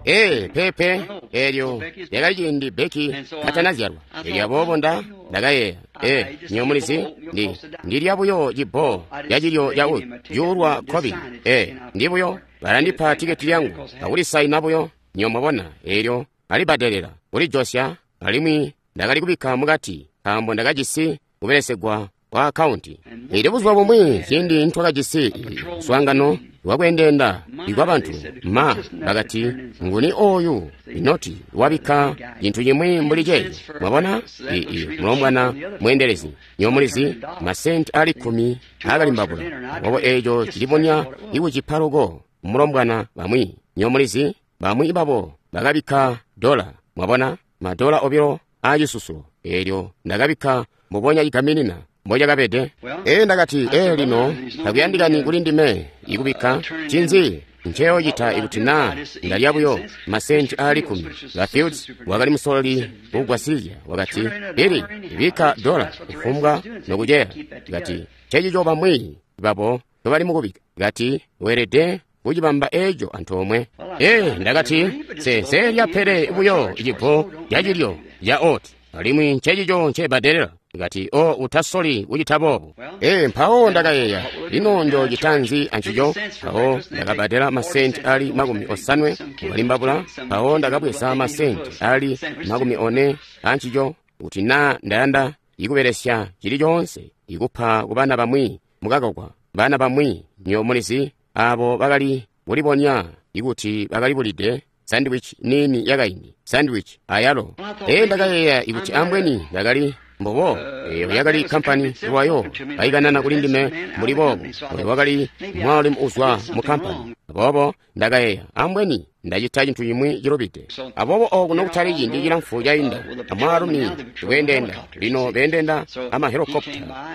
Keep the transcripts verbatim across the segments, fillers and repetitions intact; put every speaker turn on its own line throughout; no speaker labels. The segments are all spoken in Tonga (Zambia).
Ee, peepe, eelyo lyakali ciindi Becky katanazyalwa. Elyo aboobo Nda ndakayeeya, ee, nywebo mulizi, Ndi ndilya buyo cibbo ca cilyo ca cuulwa kkobili. Ee, ndi buyo balandipa tiketi lyangu akulisaina buyo, nywebo mwabona, eelyo alibbadelela kulijosya, alimwi ndakali kubikka mukati nkaambo ndakajisi kubelesegwa kwa akkaunti. Elyo buzuba bumwi ciindi nitwakajisi muswaangano wakweendeenda ikwa bantu, ma bakati, nguni oyu inoti wabikka cintu cimwi mbuli ceeco? Mwabona, ii mulombwana mweendelezi, nywebo mulizi, masenti ali kkumi aakalimbabula. Aboobo eeco cilibonya ikucipa loko mulombwana bamwi, nywebo mulizi, bamwi babo bakabikka dola, mwabona, madola obilo aacisusulo. Eelyo ndakabikka mbubonya cigaminina mbocakabede. Ee, ndakati, ee, lino takuyandikani kuli ndime ikubikka. Ncinzi nceyoocita ikuti naa ndalya buyo masenti aali kkumi? Ba Fields wakali musololi kugwasilizya, wakati, Billy, bikka dola kufumbwa nokuceya. Kati, ncecico bamwi babo nobali mukubikka. Kati, weelede kucibamba eeco antoomwe. Ee, ndakati, nse pele buyo cibbo ca cilyo ca oat, alimwi ncecico ncebbadelela. Kati, o, utasoli kucita boobo. Ee, mpawo ndakayeeya, lino njoocita nzi ancico? Mpawo ndakabbadela masenti ali makumi osanwe kukalimbabula. Mpawo ndakabweza masenti ali makumi one ancico, kuti naa ndayanda ikubelesya cili coonse ikupa kubana bamwi mukakakwa, bana bamwi, nywebo mulizi, abo bakali kulibonya ikuti bakali bulide sandwich nini yakaindi, sandwich ayalo. Ee, ndakayeeya ikuti ambweni ndakali mbobo, eyo yakali kampani lwayo kaikanana kuli ndime mbuli boobo. Oyo wakali mwaalumi uzwa mu kampani. Aboobo ndakayeeya, ambweni ndacita cintu cimwi cilubide. Aboobo oku nokutali ciindi cilamfu cainda, amwaalumi weendeenda, lino beendeenda amahelikopta,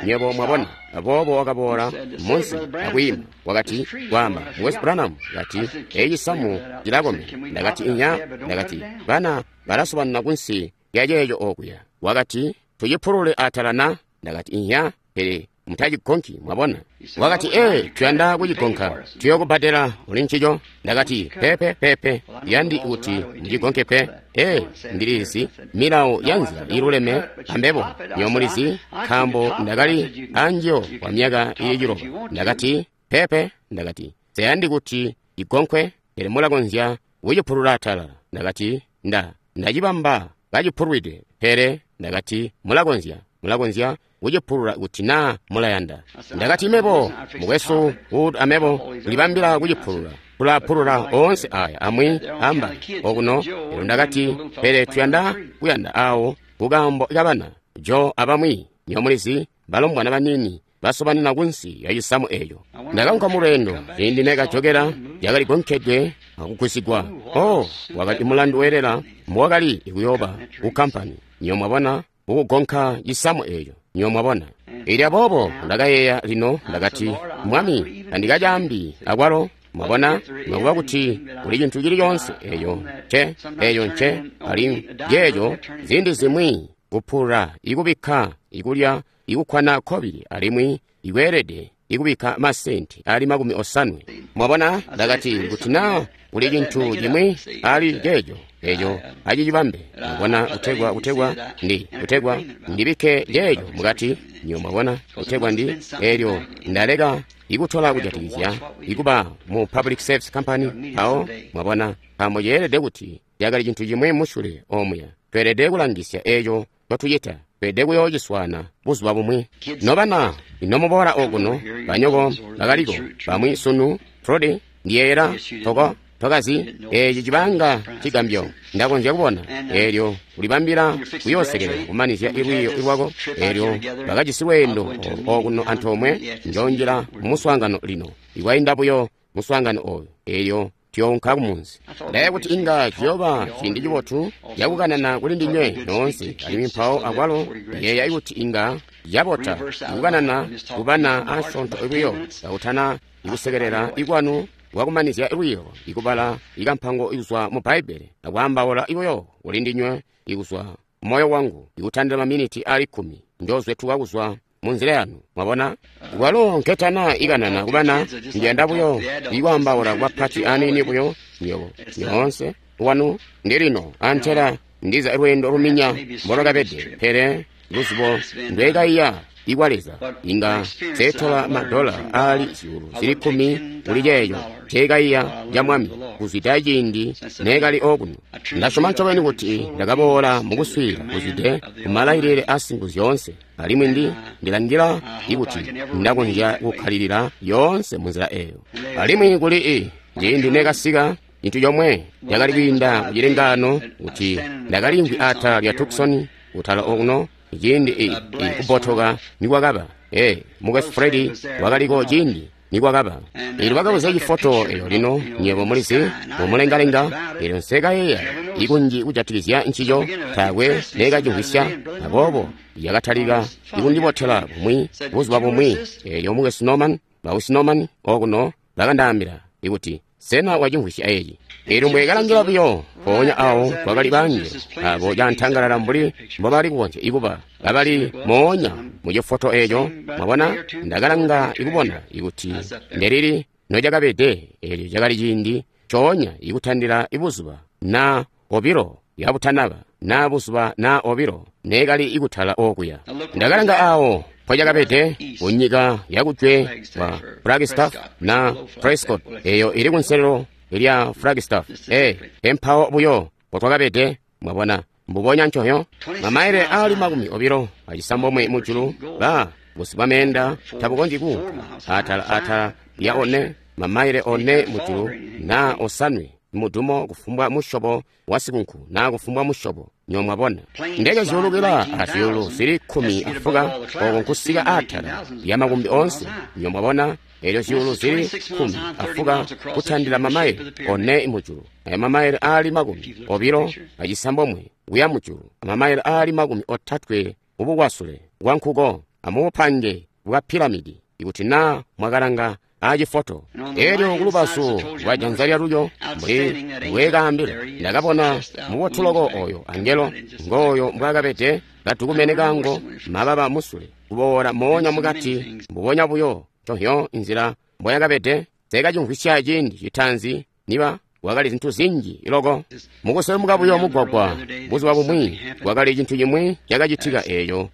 nywebo mwabona. Aboobo wakaboola munsi akwiima, wakati, kwaamba, Mukwesu Branham, kati, eeci cisamu cilakomena. Ndakati, inya. Ndakati, bana balasobanina kunsi lya ceeco okuya. Wakati, tucipulule atala na? Ndakati, inya, pele mutacigonki, mwabona. Wakati, ee, tuyanda kucigonka, tuyokubbadela kuli ncico. Ndakati, pepe pepe, yandi kuti mucigonke pe. Ee, ndilizi milawo ya nzila iluleme ambebo, nywebo mulizi, nkaambo ndakali anjiyo kwa myaka ili ciloba. Ndakati, pepe. Ndakati, nseyandi kuti cigonkwe, pele mulakonzya kucipulula atala. Ndakati, nda ndacibamba kacipulwide, pele ndakati mulakonzya mulakonzya kucipulula kuti naa mulayanda. Ndakati, mebo mukwesu Wood amebo tulibambila kucipulula, tulapulula oonse aya amwi amba okuno. Elyo ndakati, pele tuyanda kuyanda awo kukaambo kabana Jo abamwi, nywebo mulizi, balombwana banini basobanina kunsi ya cisamu eeco. Ndakaunka mulweendo, ciindi nekajokela yakali gonkedwe akugwisigwa. Oh, wakali mulandu weelela mbowakali kuyooba ku kampani, nywebo mwabona, kukugonka cisamu eeco, nywebo mwabona. Elyo aboobo ndakayeeya lino, ndakati, Mwami, tandikacaambi akwalo, mwabona, nokuba kuti kuli cintu cili coonse eeco nce, eeco nce, alimwi ceeco ziindi zimwi kupulula ikubikka ikulya ikukkwana kkobili, alimwi ikweelede ikubikka masenti ali makumi osanwe. Mwabona, ndakati, kuti naa kuli cintu cimwi ali ceeco, eeco acicibambe, mwabona, kutegwa kutegwa ndi kutegwa ndibikke ceeco mukati, nywebo mwabona, kutegwa ndi eelyo ndaleka ikutola kujatikizya ikuba mu Public Service Company. Mpawo mwabona, nkaambo ceelede kuti cakali cintu cimwi musyule omuya. Tweelede kulangisya eeco ncotucita. Tweelede kuyoociswaana buzuba bumwi. Nobana, inomuboola okuno, banyoko bakaliko bamwi sunu. Trudy, ndiyeeyela toko tokazi eeci cibanga cigambyo. Ndakonzya kubona eelyo ulibambila kuyoosekelela kumanizya lwiiyo lwako. Eelyo bakajisi lweendo okuno antoomwe. Njoonjila mumuswaangano lino, ikwainda buyo muswaangano ooyu, eelyo tuyounka kumunzi. Ndaye kuti inga ciyooba ciindi cibotu cakukanana kuli ndinywe noonse, alimwi mpawo akwalo ndiyeeya kuti inga cabota ikukanana kubana asyoonto buyo kakutana ikusekelela ikwanu kwakumanizya lwiiyo, ikubala ikampango ikuzwa mu Bbaibbele akwaambaula buyo kuli ndinywe ikuzwa moyo wangu, ikutandila maminiti ali kkumi njoozwetuka kuzwa munzila yanu, mwabona. Kwalo nketana ikanana kubana, ndiyanda buyo ikwaambaula kubapati aniini buyo, nywebo nyoonse wanu ndilino antela ndiza lweendo luminya mbolwakabede, pele luzibo ndwekaiya ikwa Leza inga seetola madola aali zyuulu zili kkumi kuli ceeco nceekaiya ca Mwami kuzwida ciindi neekali okuno. Ndasyoma ncobeni kuti ndakaboola mukuswiilila kuzwide kumalailile asingu zyoonse, alimwi ndi ndilangila ikuti ndakonzya kukkalilila yoonse munzila eyo. Alimwi kuli i ciindi neekasika, cintu comwe cakali kwiinda kucilengaano kuti ndakaliimvwi atala lya Tucson kutala okuno ciindi i, i kubotoka nikwakaba. Ee, Mukwesu Freddy wakaliko ciindi nikwakaba. Eelyo bakabweza cifoto eyo lino, nywebo mulizi, mumulengalenga. Eelyo nsekayeeya ikunji kujatikizya ncico, taakwe neekacimvwisya. Aboobo yakatalika ikundibotela bumwi buzuba bumwi. Eelyo Mukwesu Norman, Bausi Norman okuno bakandaambila ikuti, sena wacimvwisya eci? Eelyo mbwekalangila buyo, mpoonya awo kwakali bangelo abo cantangalala mbuli mbobali kukonzya ikuba kabali moonya mu cifoto eco. Mwabona, ndakalanga ikubona ikuti ndelili nocakabede. Eelyo cakali ciindi coonya ikutandila ibuzuba na obilo yabutanaba na buzuba na obilo neekali ikutala okuya. Ndakalanga awo mpocakabede kunyika yakujwe kwa Flagstaff na Prescott, eyo ili kunselelo lya Flagstaff. Ee, empawo buyo mpotwakabede. Mwabona, mbubonya ncoyo mamaile ali makumi obilo acisambomwe mujulu, ba busi bwa meenda tabukonzyi kuunka atala atala lya one mamaile one mujulu na osanwe mudumo kufumbwa musyobo wa sikunku na kufumbwa musyobo. Nyo mwabona ndeke zyuulukila azyuulu zili kkumi afuka oko nkusika atala lya makumbi onse. Nyo mwabona elyo zyuulu zili kkumi afuka kutandila mamaile one mujulu, aya mamaile aali makumi obilo acisambomwe kuya mujulu, amamaile aali makumi otatwe mubukwasule bwa nkuko amubupange bwa piramidi, ikuti na mwakalanga acifoto. Elyo kulubazu lwa janza lyalulyo, mbuli mbweekaambila, ndakabona mubotuloko oyo angelo ngooyo mbwaakabede, katukumene kango mababa musule kuboola moonya mukati, mbubonya buyo nconhyo nzila mboyakabede. Nseekacimvwisya ciindi citaanzi niba kwakali zintu zinji loko. Mukuselemuka buyo mugwagwa buzuba bumwi, kwakali cintu cimwi cakacitika eeco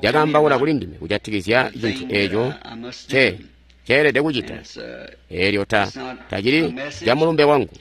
cakaambaula kuli ndime kujatikizya cintu eeco nce ceelede kucita. Eelyo ta tacili ca mulumbe wangu.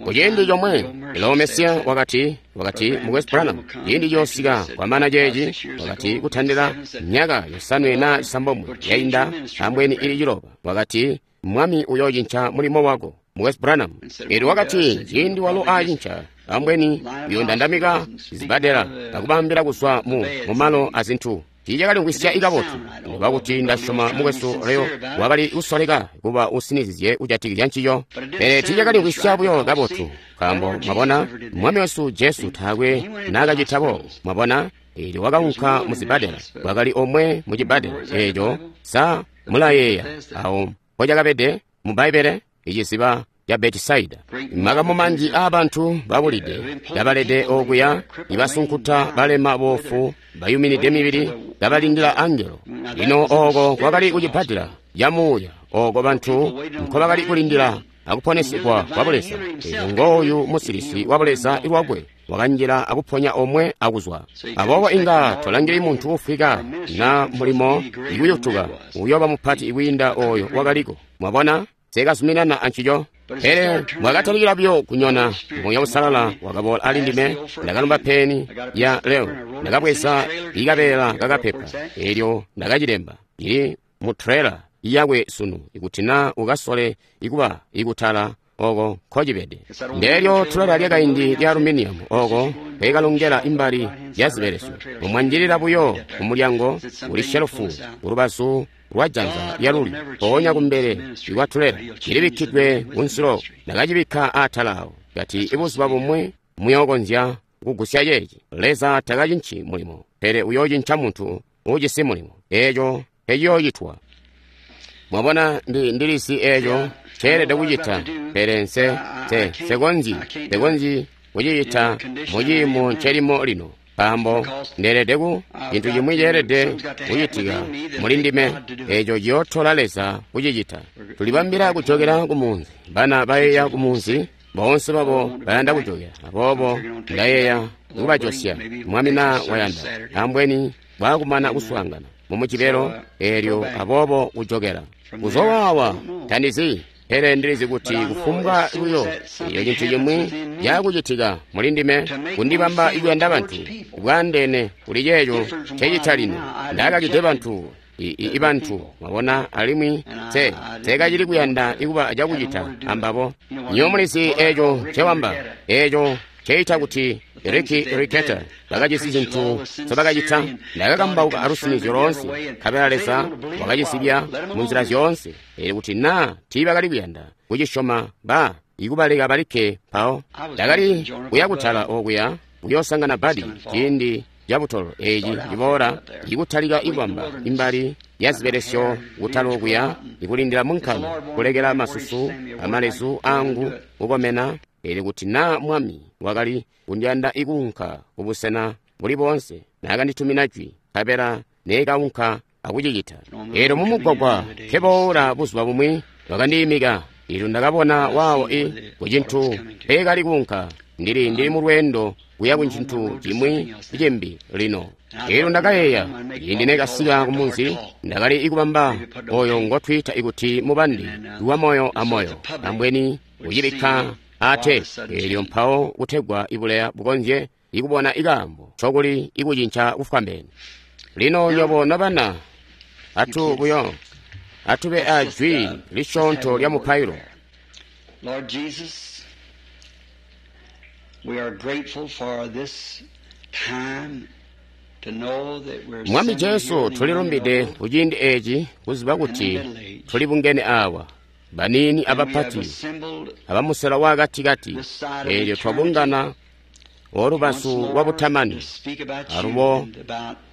Kuciindi comwe Leo Mesiya wakati, wakati Mukwesu Branham, ciindi coosika kwamana ceeci, wakati kutandila myaka yosanwe na cisambomwe yainda ambweni ili ciloba, wakati Mwami uyoocinca mulimo wako, Mukwesu Branham. Eelyo wakati ciindi walo aacinca, ambweni uyoondandamika zibadela akubambila kuzwa mu mumalo azintu. Tiicakalimvwisya ikabotu, nokuba kuti ndasyoma Mukwesu Leo wakali kusoleka kuba usinizizye kujatikizya ncico, pele tiicakalimvwisya buyo kabotu, nkaambo mwabona Mwami wesu Jesu taakwe naakacita boobo. Mwabona, eelyo wakaunka mu zibadela, kwakali omwe mu cibadela eeco. Sa mulayeeya awo mpocakabede mu Bbaibbele? Iciziba ca Betisaida. Makamu manji aabantu babulide kabalede okuya, ibasunkuta, balema, boofu, bayuminide mibili, kabalindila angelo. Lino oko kwakali kucibbadela ca muuya, oko bantu nkobakali kulindila akuponesigwa kwa Buleza. Eelyo ngooyu musilisi wa Buleza lwakwe wakanjila akuponya omwe akuzwa. Aboobo inga tolangili muntu ufwika na mulimo ikuyutuka uyooba mupati kwiinda oyo wakaliko. Mwabona, nseekazuminana ancico. Pele mwakatalikila buyo kunyona, Muuya Uusalala wakaboola ali ndime. Ndakalumba peni ya Leo, ndakabweza ikabeela kakapepa, eelyo ndakacilemba. Ili mu trailer yakwe sunu, ikuti na ukasole ikuba ikutala oko nkocibede. Ndeelyo trailer lyakaindi lya aluminium oko kwekalongela imbali ya zibelesyo. Mumwanjilila buyo kumulyango kuli shelufu kulubazu lwa janza lyalulyo, mpoonya kumbele ikwa trailer cilibikkidwe kunsilo. Ndakacibikka atala awo, kati ibuzuba bumwi muyookonzya kugusya ceeci. Leza takacinci mulimo, pele uyoocinca muntu uujisi mulimo. Eeco eciyoocitwa. Mwabona, ndi ndilisi eeco ceelede kucita, pele nse nse nsekonzyi nsekonzyi kucicita muciimo ncelimo lino, nkaambo ndeelede ku cintu cimwi ceelede kucitika muli ndime, eeco ciyootola Leza kucicita. Tulibambila kujokela ku munzi, bana bayeeya ku munzi, Boonse babo bayanda kujokela. Aboobo ndayeeya kubajosya Mwami na wayanda, ambweni bwaakumana kuswaangana mu Mujibelo eelyo, aboobo kujokela. Kuzwa waawa tandizi, pele ndilizi kuti kufumbwa buyo eyo cintu cimwi cakucitika muli ndime kundibamba kuyanda bantu bwaandeene kuli ceeco ncecita lino. Ndakakide bantu i bantu, mwabona, alimwi te teekacili kuyanda kuba cakucita ambabo. Nywebo mulizi eeco ncewamba, eeco nceita kuti Ricky Ricketta bakajisi zintu nzobakacita. Ndakakambauka alusinizyo loonse, nkabela Leza wakacisibya munzila zyoonse. Eelyo kuti naa tiibakali kuyanda kucisyoma, ba ikubaleka balikke. Mpawo ndakali kuya kutala okuya kuyoosangana Badi ciindi cabutolo eeci ciboola, ikutalika ikubamba imbali ya zibelesyo kutala okuya, ikulindila munkanda kulekela masusu amalezu aangu kukomena. Eelyo kuti naa Mwami wakali kundiyanda ikuunka kubusena buli boonse, naakanditumina jwi, nkabela neekaunka akucicita. Eelyo mumugwagwa nkeboola buzuba bumwi bakandiimika. Eelyo ndakabona waawo i kucintu mpeekali kuunka. Ndili ndili mulweendo kuya kuncintu cimwi cimbi lino. Eelyo ndakayeeya, ciindi neekasika kumunzi, ndakali ikubamba oyo ngotwiita ikuti mubandi wa moyo amoyo, ambweni kucibikka ate eelyo mpawo kutegwa ibuleya bukonzye ikubona ikaambo ncokuli ikucinca kufwambeene. Lino nywebo nobana, atu buyo atube a jwi lisyoonto lya mupailo.
Lord Jesus, we are grateful for this time to know that we're
Mwami Jesu, tulilumbide kuciindi eeci kuziba kuti tulibungene awa, baniini abapati, abamusela waakatikati. Eelyo twabungana olubazu lwa butamani, alubo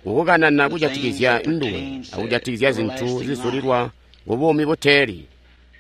kukukanana kujatikizya nduwe akujatikizya zintu zizulilwa kubuumi buteeli.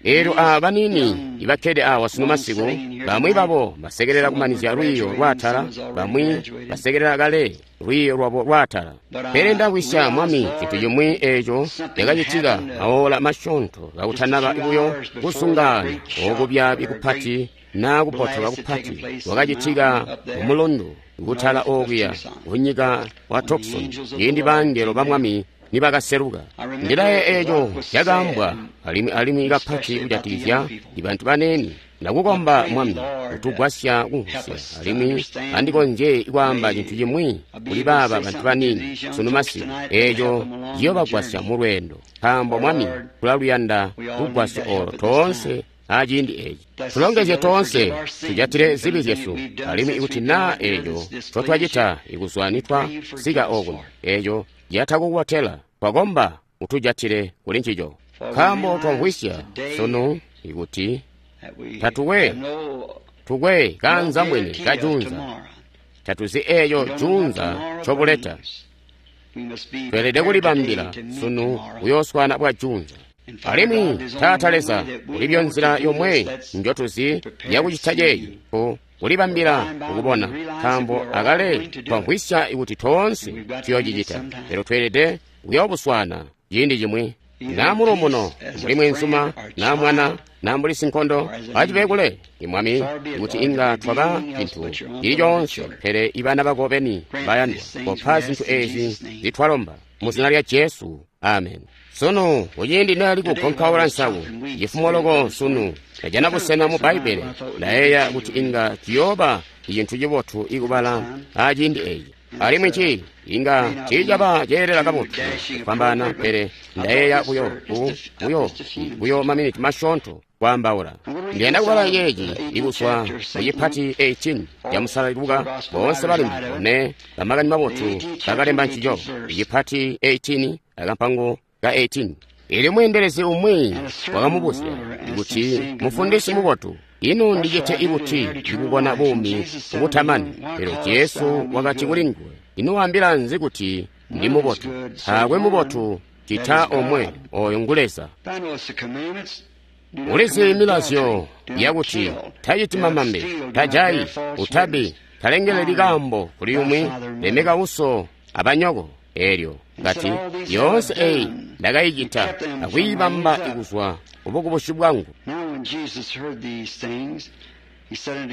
Eelyo aaba baniini ibakkede awa sunu masiku, bamwi babo basekelela kumanizya lwiiyo lwaatala, bamwi basekelela kale lwiiyo lwabo lwaatala. Pele ndakwisya Mwami cintu cimwi eeco cakacitika maola masyoonto kakutanaba buyo kusungaana okubyaabi kupati naa kupotoka kupati kwakacitika mumulundu kutala okuya kunyika wa Tucson, ciindi bangelo ba Mwami nibakaseluka. Ndilaye eeco cakaambwa alimwi alimwi kapati kujatikizya bantu baneeni. Ndakukomba Mwami kutugwasya kumvwisya, alimwi andikonzye kwaamba cintu cimwi kuli baaba bantu baniini sunu masiku, eeco ciyoobagwasya mulweendo. Nkaambo Mwami tulaluyanda lugwasyo oolo toonse aciindi eeci. Tulongezye toonse, tujatile zibi zyesu, alimwi ikuti naa eeco ncotwacita ikuzwa nitwasika okuno, eeco catakukubotela, twakomba utujatile kuli ncico. Nkaambo twamvwisya sunu ikuti tatukwe tukwe kaanzambwene kajunza, tatuzi eeco junza ncobuleta. Tweelede kulibambila sunu kuyooswana bwa junza. Alimwi Taata Leza, ulibyo nzila yomwe njotuzi yakucita ceeci, ku kulibambila kukubona, nkaambo akale twamvwisya ikuti toonse tuyoocicita. Pele tweelede kuyoobuswana ciindi cimwi. Naa muluumuno mbuli mwenzuma, naa mwana, naa mbuli sinkondo, acibe kule Mwami, kuti inga twaba cintu cili coonse, pele ibana bako beni bayandwa, kopa zintu eezi zitwalomba mu zina lya Jesu, amen. Sunu kuciindi ndali kugonkaula nsaku cifumo loko sunu, ndajana busena mu Bbaibbele, ndayeeya kuti inga ciyooba cintu cibotu ikubala aciindi eeci. Alimwi ci inga tiicaba ceelela kabotu kufwambaana, pele ndayeeya buyo buyo buyo maminiti masyoonto kwaambaula. Ndiyanda kubala ceeci ikuzwa mu cipati eighteen ca Musalali Luka. Boonse balembi bone bamakani mabotu bakalemba ncico, icipati eighteen akampango ka eighteen. Eelyo mweendelezi umwi wakamubuzya kuti, Mufundisi mubotu, ino ndicite ibuti ikukona buumi ubutamani? Pele Jesu wakati kuli nguwe, ino waambila nzi kuti ndi mubotu? Taakwe mubotu cita omwe, oyo ngu Leza. Ulizi milazyo yakuti taciti mamambe, tajayi, utabi, talengeleli kaambo kuli umwi, lemeka uso abanyoko. Eelyo kati, yoonse eyi ndakayicita akwiibamba ikuzwa kubukubusi bwangu.
Now when Jesus heard these things,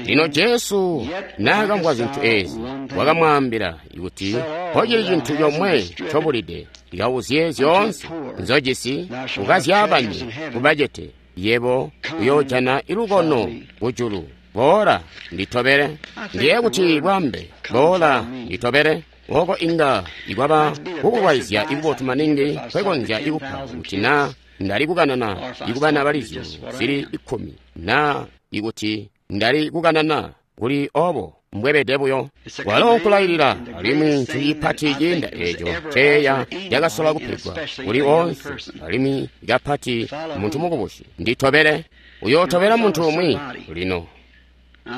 Lino Jesu naakamvwa zintu eezi, wakamwaambila kuti, "Mpocili cintu comwe ncobulide, likauzye zyoonse nzojisi ukazyaabanye kubacete, yebo uyoojana ilukono kujulu. Boola nditobele." Ndiye kuti bwambe, "Boola nditobele," oko inga ikwaba kukulwaizya ikubotu maningi kwekonzya ikupa kuti naa ndali kukanana ikubana bali zyuulu zili ikkumi, naa ikuti ndali kukanana kuli obo mbwebede buyo. Walo nkulailila, alimwi ncintu cipati ciinda eeco ceeya cakasola kupegwa kuli oonse, alimwi kapati muntu mukubusi. Nditobele. Uyootobela muntu umwi lino.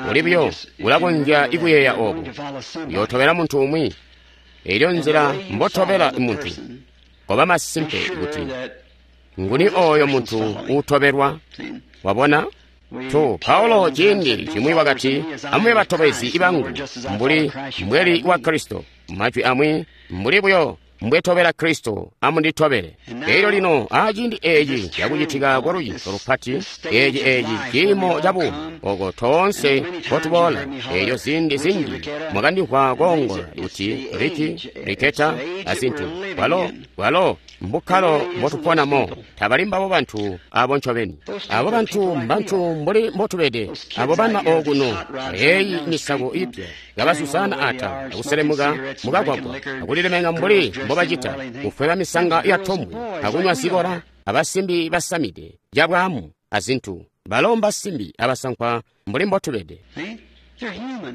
Uli buyo ulakonzya ikuyeeya obo. Uyootobela muntu umwi. Elyo nzila mbotobela muntu, koba masimpe kuti nguni oyo muntu uutobelwa. Wabona? Tu Paulo ciindi cimwi wakati, "Amube batobezi bangu mbuli mbweli wa Kristo." Majwi amwi, mbuli buyo mbwetobela Kristo, amunditobele. Elyo lino aciindi eeci cakucitika kwa lucinco lupati, eeci eeci ciimo ca buumi oko toonse nkotuboola. Elyo ziindi zinji mwakandimvwa koongola kuti Riki, Riketa azintu. Walo, walo mbukkalo mbotuponamo. Tabali mbabo bantu abo ncobeni. Abo bantu mbantu mbuli mbotubede. Abo bana okuno, eeyi misako ipya, kabasusana ata, akuselemuka mukagwagwa, akulilemeka mbuli mbobacita, kufweba misanga ya tombwe, akunywa zikola, abasimbi basamide cabwaamu azintu. Balo mbasimbi abasankwa mbuli mbotubede.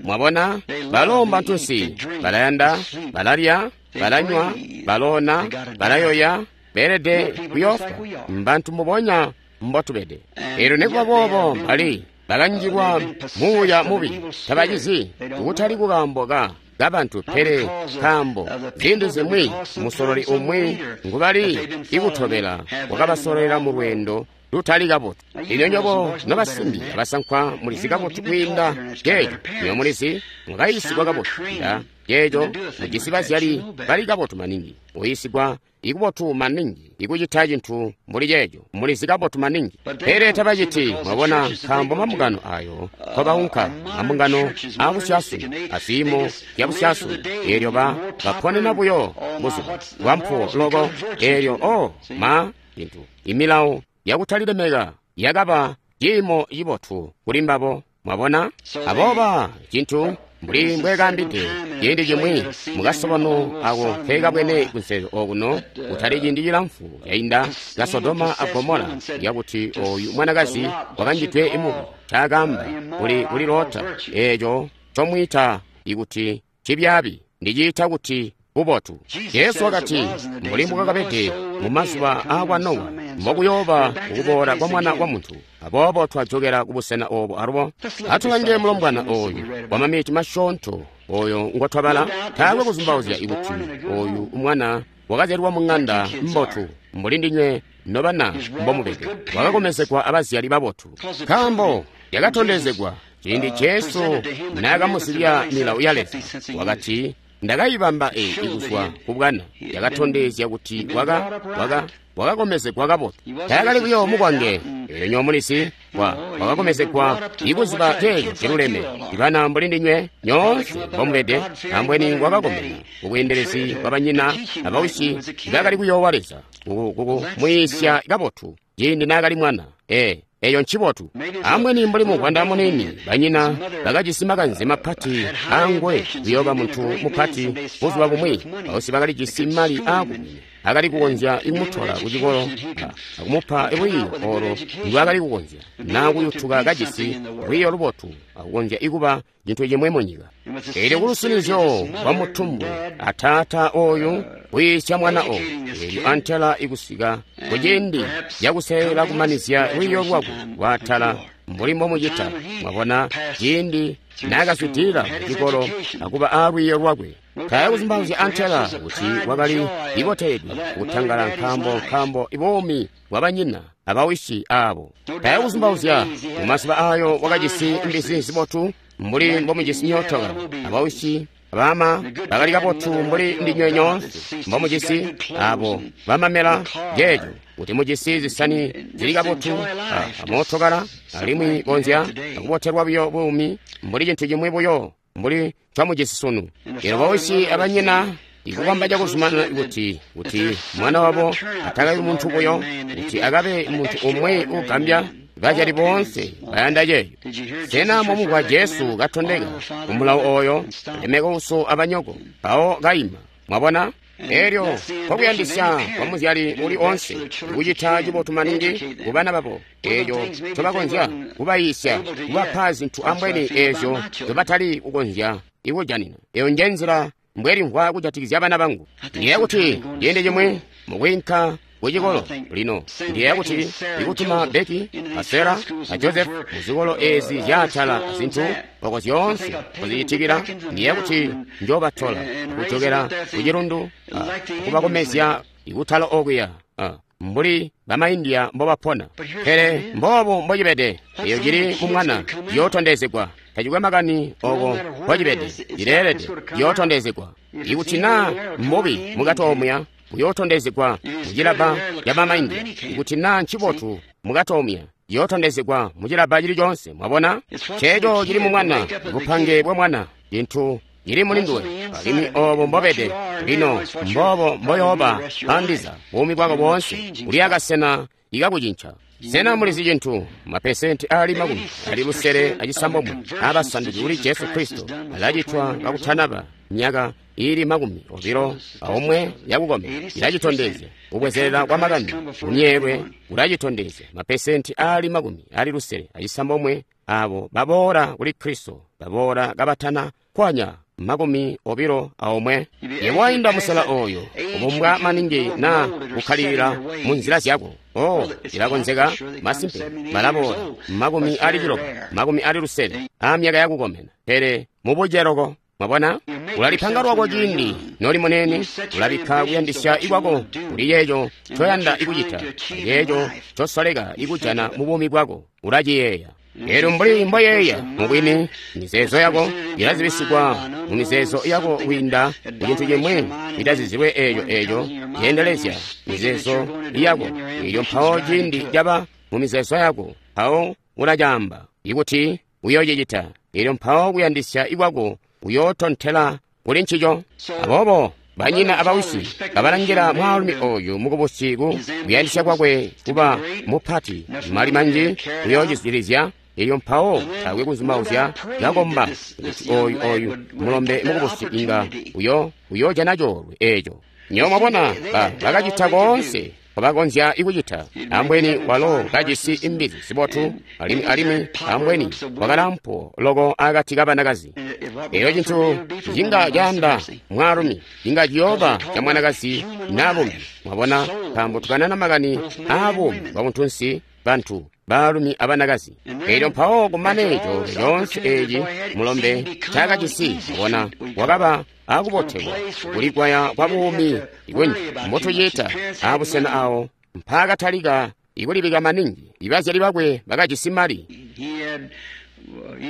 Mwabona, balo mbantunsi, balayanda, balalya, balanywa, baloona, balayoya, beelede kuyoofwa. Mbantu mbubonya mbotubede. Elyo nikuba boobo bali bakanjilwa muuya mubi, tabacizi, kutali kukaambo ka kabantu, pele nkaambo ziindi zimwi musololi umwi ngubali ikutobela wakabasololera mu lweendo lutali kabotu. Lino nywebo nobasimbi abasankwa mulizi kabotu kwiinda ceeco. Nywebo mulizi mwakayiisigwa kabotu kwiinda ceeco. Mujisi bazyali bali kabotu maningi, uyiisigwa ikubotu maningi ikucita cintu mbuli ceeco. Mulizi kabotu maningi, pele tabaciti. Mwabona, nkaambo mambungano ayo nkobaunka, mambungano aabusyasunu aziimo zyabusyasunu, eelyo ba baponena buyo buzuba bwampuwo loko. Eelyo o ma cintu imilawo yakutalilemeka yakaba ciimo cibotu kuli mbabo. Mwabona, abooba cintu mbuli mbwekaambide ciindi cimwi mukasobano ako nkekabwene kunselelo okuno kutali ciindi cilamfu cainda, ka Sodoma a Gomora, yakuti oyu mwanakazi wakanjidwe mubi ncaakaamba kuli kuli Lota, eeco ncomwiita ikuti cibyaabi ndiciita kuti bubotu. Jesu wakati, mbuli mbwakabede mu mazuba aakwa Nowa, mbokuyooba ukuboola kwa Mwana wa Muntu. Aboobo twajokela kubusena obo alubo. Atulange mulombwana oyu wamamiti masyoonto oyo ngotwabala. Taakwe kuzumbauzya ikuti oyu mwana wakazyalwa mu ng'anda mbotu, mbuli ndinywe nobana mbomubede. Wakakomezegwa abazyali babotu, nkaambo yakatondezegwa ciindi Jesu naakamuzibya milawo ya Leza. Wakati, "Ndakayibamba eyi kuzwa kubwana." Yakatondezya kuti waka waka wakakomezegwa kabotu. Taakali buyo mukwange. Elyo nywebo mulizi, wa wakakomezegwa ikuziba ceeco ciluleme. Ibana mbuli ndinywe nyoonse mbomubede, ambweni wakakomena kubweendelezi bwabanyina abawisi bakali kuyoowa Leza, kukumwiisya kabotu ciindi naakali mwana. Ee, eyo ncibotu. Ambweni mbuli muvwanda muniini, banyina bakajisi makanze mapati angwe kuyooba muntu mupati buzuba bumwi. Bawisi bakalijisi mali aakumwine akali kukonzya kumutola kucikolo akumupa lwiiyo olo ndwaakali kukonzya, naa kuyutuka kajisi lwiiyo lubotu akukonzya ikuba cintu cimwi munyika. Elyo kulusinizyo lwa mutumbu ataata oyu kuyiisya mwana oyu, elyo antela ikusika kuciindi cakuselela kumanizya lwiiyo lwakwe lwaatala mbuli mbomucita. Mwabona, ciindi naakazwidilila kucikolo akuba aalwiiyo lwakwe, taaya kuzumbauzya antela kuti wakali iboteledwe kutangala nkaambo nkaambo ibuumi bwabanyina abawisi aabo. Taaya kuzumbauzya mumazuba aayo wakajisi mbizi zibotu mbuli mbomujisi myootokala, abawisi abama bakali kabotu mbuli ndinywe nyoonse mbomujisi, abo bamamela jeejo kuti mujisi zisani zili kabotu a mootokala, alimwi konzya akubotelwa buyo buumi mbuli cintu cimwi buyo mbuli ncomujisi sunu. Elyo bausyi abanyina ikukomba cakuzumanana kuti kuti mwana wabo atakabi muntu buyo, kuti akabe muntu umwi ugambya. Bazyali boonse bayanda ceeyo. Sena mwamumvwa Jesu katondeka ku mulawo oyo, lemeka uso abanyoko, mpawo kaima? Mwabona? Elyo nkokuyandisya kwa muzyali uli onse kucita cibotu maningi ku bana babo, eeco ncobakonzya kubayiisya, kubapa zintu ambweni eezyo nzobatali kukonzya ikujanina. Eyo nje nzila mbwelimvwa kujatikizya bana bangu. Ndiyeeya kuti ciindi cimwi mukwiinka kucikolo lino, ndiyeeya kuti ikutuma Becky a Sarah a Joseph muzikolo ezi zyaatala azintu oko zyoonse kozicitikila, ndiyeeya kuti njoobatola akujokela kucilundu akubakomezya ikutala okuya mbuli bamaindiya mbobapona. Pele mboobu mbocibede, eyo cili mu mwana ciyootondezegwa. Tacikwe makani oko mbocibede, cileelede ciyootondezegwa. Ikuti naa mbubi mukati omuya, buyootondezegwa mucilabba ca bamaindiya. Ikuti naa ncibotu mukati omuya, ciyootondezegwa mucilabba cili coonse. Mwabona? Ceeco cili mu mwana, bupange bwa mwana, cintu cili muli nduwe, alimwi obo mbobede lino, mboobo mboyooba andiza buumi bwako boonse. Uli akasena ikakucinca. Sena mulizi cintu? Mapesenti ali makumi ali lusele acisambomwe abasanduki kuli Jesu Kristo alacitwa kakutanaba myaka ili makumi obilo aomwe yakukomena. Ilacitondezya kubwezelela kwa makani kumyeelwe, kulacitondezya. Mapesenti ali makumi ali lusele acisambomwe abo baboola kuli Kristo baboola kabatana kwanya makumi obilo aomwe. Yebo wainda musela oyo ubumbwa maningi na kukkalilila mu nzila zyako. Oh, ilakonzeka masimpe balaboola makumi ali ciloba, makumi ali lusele a myaka yakukomena, pele mubuceloko. Mwabona? Ulalipanga lwako ciindi noli munene, ulabikka kuyandisya ikwako kuli ceeco ncoyanda ikucita, ceeco ncosoleka ikujana mu buumi bwako, ulaciyeeya. Elyo mbuli mboyeeya mubwini, mizeezo yako ilazibisigwa mu mizeezo yako kwiinda ku cintu cimwi itazizilwe eeco eeco ceendelezya mizeezo yako. Elyo mpawo ciindi caba mu mizeezo yako, mpawo ulacaamba ikuti uyoocicita. Elyo mpawo kuyandisya ikwako uyootontela kuli ncico. Aboobo banyina abawisi kabalangila mwaalumi oyu mukubusi ku kuyandisya kwakwe kuba mupati, mali manji kuyoocizwilizya. Elyo mpawo taakwe kuzumauzya kakomba kuti oyu oyu mulombe mukubusi inga uyo uyoojana coolwe eeco. Nywebo mwabona, ba bakacita koonse bakonzya ikucita. Ambweni walo kajisi imbizi zibotu, alimwi alimwi ambweni wakalampo loko akati kabanakazi. Elyo cintu cinga caanda mwaalumi cinga ciyooba ca mwanakazi naa bumbi. Mwabona, nkaambo tukanana makani aabuumi bwa buntunsi, bantu baalumi abanakazi. Elyo mpawo kumane coolwe coonse eeci mulombe ncaakajisi, mwabona, wakaba akubotelwa kulikwaya kwa buumi kunji mbotuciita abusena awo mpaakatalika ikulibika maningi. Ibazyali bakwe bakajisi mali,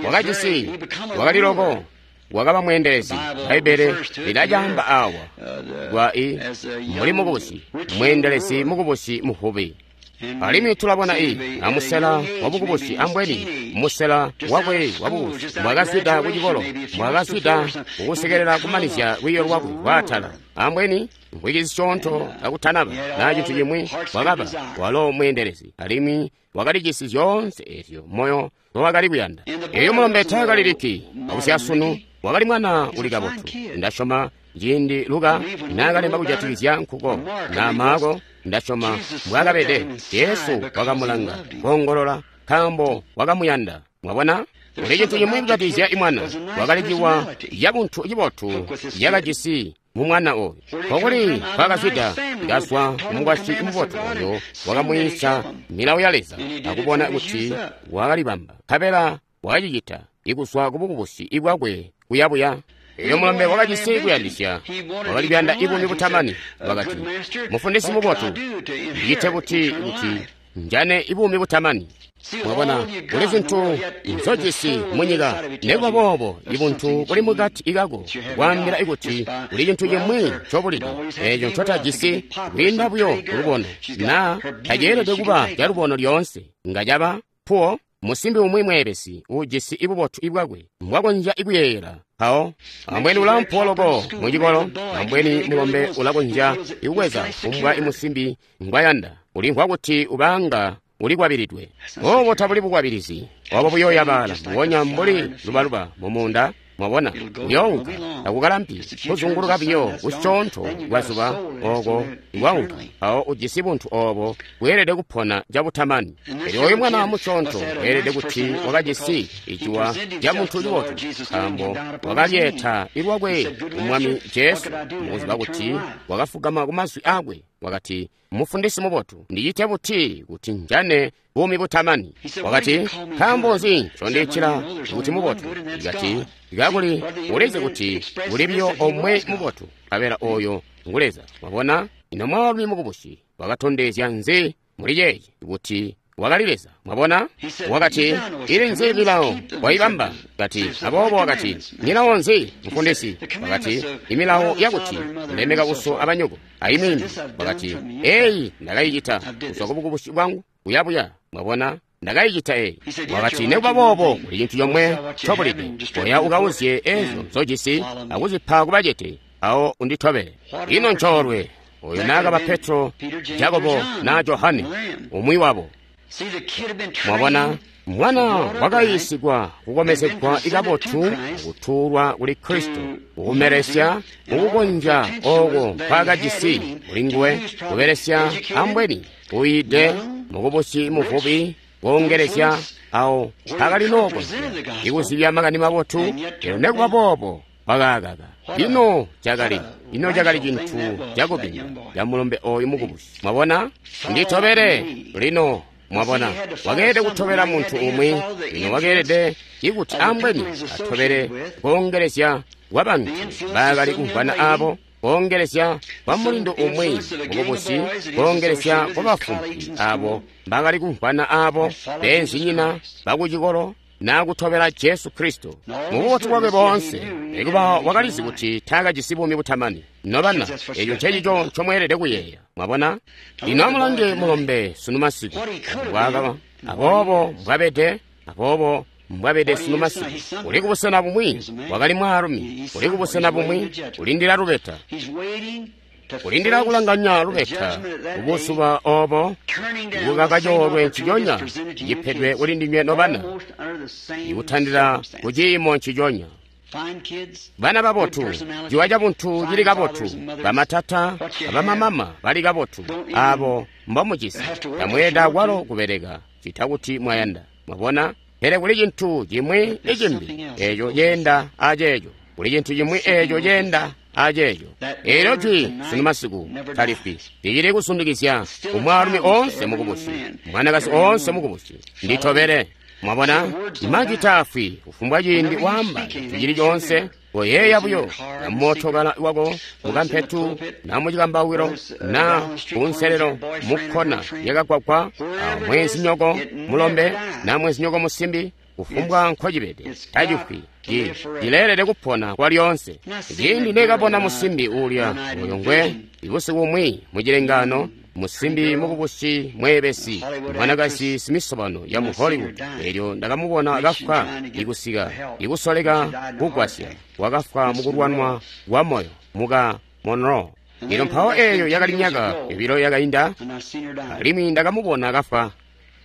wakajisi, wakali loko, wakaba mweendelezi. Bbaibbele lilacaamba awa kwa i mbuli mukubusi, mweendelezi mukubusi muvubi. Alimwi tulabona i amusela wabukubusi, ambweni musela wakwe wabukubusi, mbwakazwida kucikolo, mbwakazwida kukusekelela kumanizya lwiiyo lwakwe lwaatala, ambweni mvwiki zisyoonto kakutanaba naa cintu cimwi, wakaba walo mweendelezi, alimwi wakalijisi zyoonse ezyo moyo nowakali kuyanda. Eyo mulombe taakaliliki akusyasunu, wakali mwana uli kabotu. Ndasyoma ciindi Luka naakalemba kujatikizya nkuko na Maako, ndasyoma mbwaakabede, Jesu wakamulanga koongolola nkaambo wakamuyanda. Mwabona? Kuli cintu cimwi kujatikizya imwana, wakali ciwa cabuntu cibotu yakajisi mu mwana oyu. Nkokuli nkaakazwida, kazwa kumukwasyi mubotu oyo wakamwiisya milawo ya Leza akubona kuti wakalibamba, nkabela wakacicita ikuzwa kubukubusi bwakwe kuyabuya. Elyo mulombe wakajisi kuyandisya, wakali kuyanda ibuumi butamani. Wakati, mufundisi mubotu, ndicite buti kuti njane buumi butamani? Mwabona, kuli zintu nzojisi munyika, nekuba boobo ibuntu buli mukati kako kwaambila ikuti kuli cintu cimwi ncobulide eeco ncotajisi kwiinda buyo kulubono, naa taceelede kuba calubono lyoonse. Nga caba puwo musimbi umwi mweebesi uujisi ibubotu ibwakwe mbwakonzya ikuyeeyela. Mpawo ambweni ulampuwo loko mucikolo, ambweni mulombe ulakonzya ikukweza kumbwa imusimbi ngwayanda, ulimvwa kuti ubanga ulikwabilidwe. Obo tabuli bukwabilizi, obo buyoyabaala mbubonya mbuli lubaluba mumuunda. Mwabona, uyounka takukalampi kuzunguluka biyo kusyoonto kwazuba oko kwaunka. Mpawo ujisi buntu obo bweelede kupona cabutamani. Elyo oyu mwana musyoonto weelede kuti wakajisi iciwa ca muntu cibotu, nkaambo wakalyeeta ilwakwe ku Mwami Jesu, mukuziba kuti wakafugama ku mazwi akwe. Wakati, Mufundisi mubotu, ndicite buti kuti njane buumi butamani? Wakati, nkaambo nzi ncondiitila kuti mubotu? Kati, kakuli ulizi kuti kuli biyo omwe mubotu, nkabela oyo ngu Leza. Mwabona, ino mwaalumi mukubusi wakatondezya nzi muli ceeci kuti wakali Leza? Mwabona, wakati, ili nzi milawo waibamba? Kati, aboobo wakati, milawo nzi, mufundisi? Wakati, imilawo yakuti lemeka uso abanyoko ayimwini. Wakati, eyi ndakayicita kuzwa kubukubusi bwangu kuyabuya. Mwabona, ndakayicita eyi. Wakati, nekuba boobo kuli cintu comwe ncobulide, oya ukauzye ezo nzojisi akuzipa kubacete, awo unditobele. Ino ncoolwe oyo naakaba Petro, Jakobo na Johane, umwi wabo. Mwabona, mwana wakayiisigwa kukomezegwa ikabotu kutuulwa kuli Kristo, kukumelesya mukukonzya oko nkwaakajisi kulinguwe, kubelesya ambweni uyiide mukubusi muvubi koongelezya awo mpaakali nookonzya ikuzibya makani mabotu. Elyo nekuba boobo wakaakaka. Ino cakali ino cakali cintu cakubinda ca mulombe oyu mukubusi. Mwabona, nditobele lino. Mwabona, wakeelede kutobela muntu umwi. Lino wakeelede ikuti ambweni atobele koongelezya kwa bantu bakali kumvwana abo, koongelezya kwa mulindu umwi mukubusi, koongelezya kwa bafumpi abo bakali kumvwana abo, beenzinyina bakucikolo, na kutobela Jesu Kristo mububotu bwakwe boonse. Nekuba wakalizi kuti taakajisi buumi butamani. Nobana, eco ncecico ncomweelede kuyeeya. Mwabona, lino amulange mulombe sunu masiku mbwaakaba, aboobo mbwabede, aboobo mbwabede sunu masiku. Uli kubusena bumwi, wakali mwaalumi, uli kubusena bumwi, ulindila lubeta, ulindila kulanganya lubeta kubuzuba obo, kukaka coolwe nciconya cipedwe kuli ndinywe nobana, ikutandila kuciimo nciconya. Bana babotu, ciwa cabuntu cili kabotu, bamatata abamamama bali kabotu, abo mbomujisi, tamweelede akwalo kubeleka cita kuti mwayanda. Mwabona, pele kuli cintu cimwi icimbi eco ceenda aceeco, kuli cintu cimwi eco ceenda aceeco. Eelyo jwi sunu masiku talifwi, licili kusundikizya kumwaalumi oonse mukubusi, mwanakazi oonse mukubusi, nditobele. Mwabona, majwi taafwi kufumbwa ciindi waamba cintu cili coonse. Koyeeya buyo na mootokala wako mukampetu, na mucikambawiro, na kunselelo mukkona yakagwagwa, mwenzinyoko mulombe na mwenzinyoko musimbi, kufumbwa nkocibede tacifwi, cileelede kupona kwa lyoonse. Ciindi nekabona musimbi uulya oyo ngwe ibusiku bumwi mucilengano, musimbi mukubusi mweebesi, mwanakazi simisobano ya mu Hollywood, elyo ndakamubona kafwa ikusika ikusoleka kugwasya, wakafwa mukulwanwa kwa moyo muka Monroe. Ino mpawo eyo yakali myaka yobilo yakainda, alimwi ndakamubona kafwa.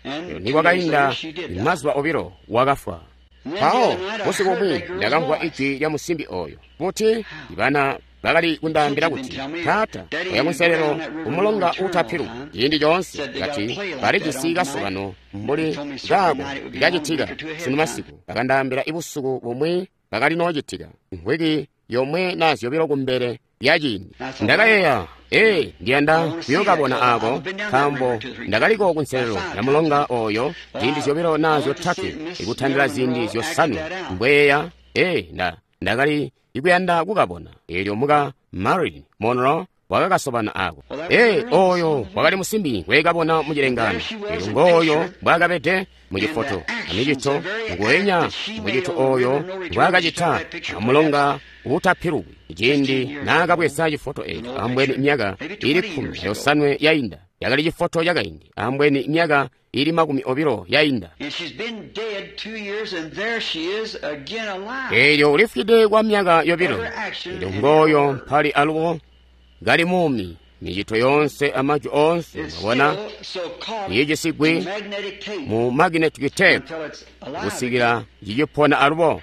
Elyo nikwakainda mazuba obilo wakafwa. Mpawo busiku bumwi ndakamvwa ijwi lya musimbi oyo kuti ibana bakali kundaambila kuti, Taata, oya kunselelo kumulonga uutapilu ciindi coonse. Kati balijisi kasobano mbuli kaako likacitika sunu masiku. Bakandaambila ibusiku bumwi bakali noocitika mvwiki yomwe na zyobilo kumbele lya ciindi. Ndakayeeya, ee, ndiyanda kuyookabona aako, nkaambo ndakaliko kunselelo ya mulonga oyo ziindi zyobilo na zyotatwe, ikutandila ziindi zyosanwe mbweeya. Ee, nda ndakali ikuyanda kukabona. Eelyo muka Marilyn Monroe wakakasobana ako. Ee, oyo wakali musimbi ngwekabona mucilengano. Elyo ngooyo mbwaakabede mucifoto amicito nguwenya mucito oyo ngwaakacita amulonga uutapilukwi ciindi naakabweza cifoto eco ambweni myaka ili kkumi ayosanwe yainda. Yakali cifoto cakaindi ambweni myaka ili makumi obilo yainda. Elyo ulifwide kwa myaka yobilo. Elyo ngooyo mpali alubo kali muumi, micito yoonse amajwi oonse, mwabona, iicisigwi mu magnetic tape kusikila cicipona alubo.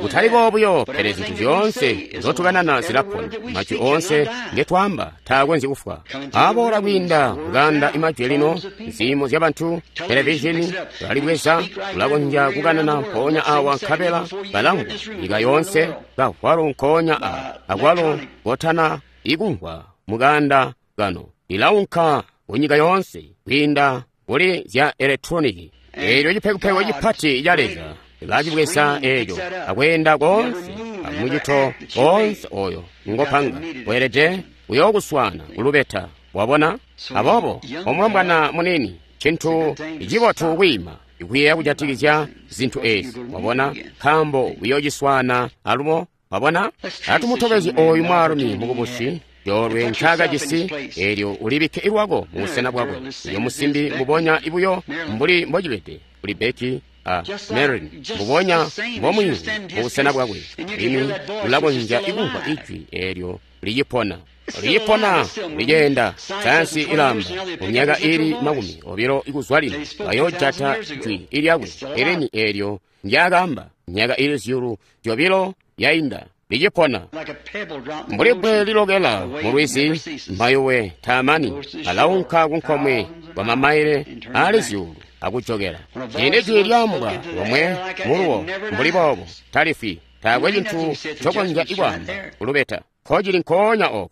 Kutali boobuyo, pele zintu zyoonse nzotukanana zilapona. Majwi oonse ngetwaamba taakonzyi kufwa. Aboola kwiinda mukanda imajwi lino, ziimo zya bantu, televizhini balibweza, ulakonzya kukanana mpoonya awa nkabela balamvwa nyika yoonse, kavwalo nkoonya awa akwalo kotana ikumvwa mukanda kano ilaunka kunyika yoonse kwiinda kuli zya elektroniki. Eelyo cipekupeku cipati ca Leza lacibweza eeco akweenda koonse amucito koonse oyo ngopanga weelede uyookuswaana kulubeta. Wabona? Aboobo omulombwana munini, cintu cibotu kwiima ikuyeeya kujatikizya zintu ezi, wabona, nkaambo uyoociswaana alubo. Wabona? Atumutobezi oyu mwaalumi mukubusi coolwe ncaakajisi, eelyo ulibikke lwako mubusena bwakwe. Uyo musimbi mbubonya ibuyo mbuli mbocibede kuli Becky a Marilyn, mbubonya mbomwiimvwi mubusena bwakwe. Alimwi ulakonzya ikumvwa ijwi eelyo licipona, licipona, liceenda. Sayansi ilamba mu myaka ili makumi obilo ikuzwa lino bayoojata jwi ilyakwe eleni eelyo ndyaakaamba myaka ili zyuulu zyobilo yainda, licipona mbuli bbwe lilokela mulwizi. Mayuwe taamani, alaunka kunkomwe kwa mamaile aali zyuulu akujokela. Ciindi jwi lyaambwa lomwe muluwo mbuli boobo talifwi, taakwe cintu cokonzya ikwaamba kulubeta nkocili nkoonya oko.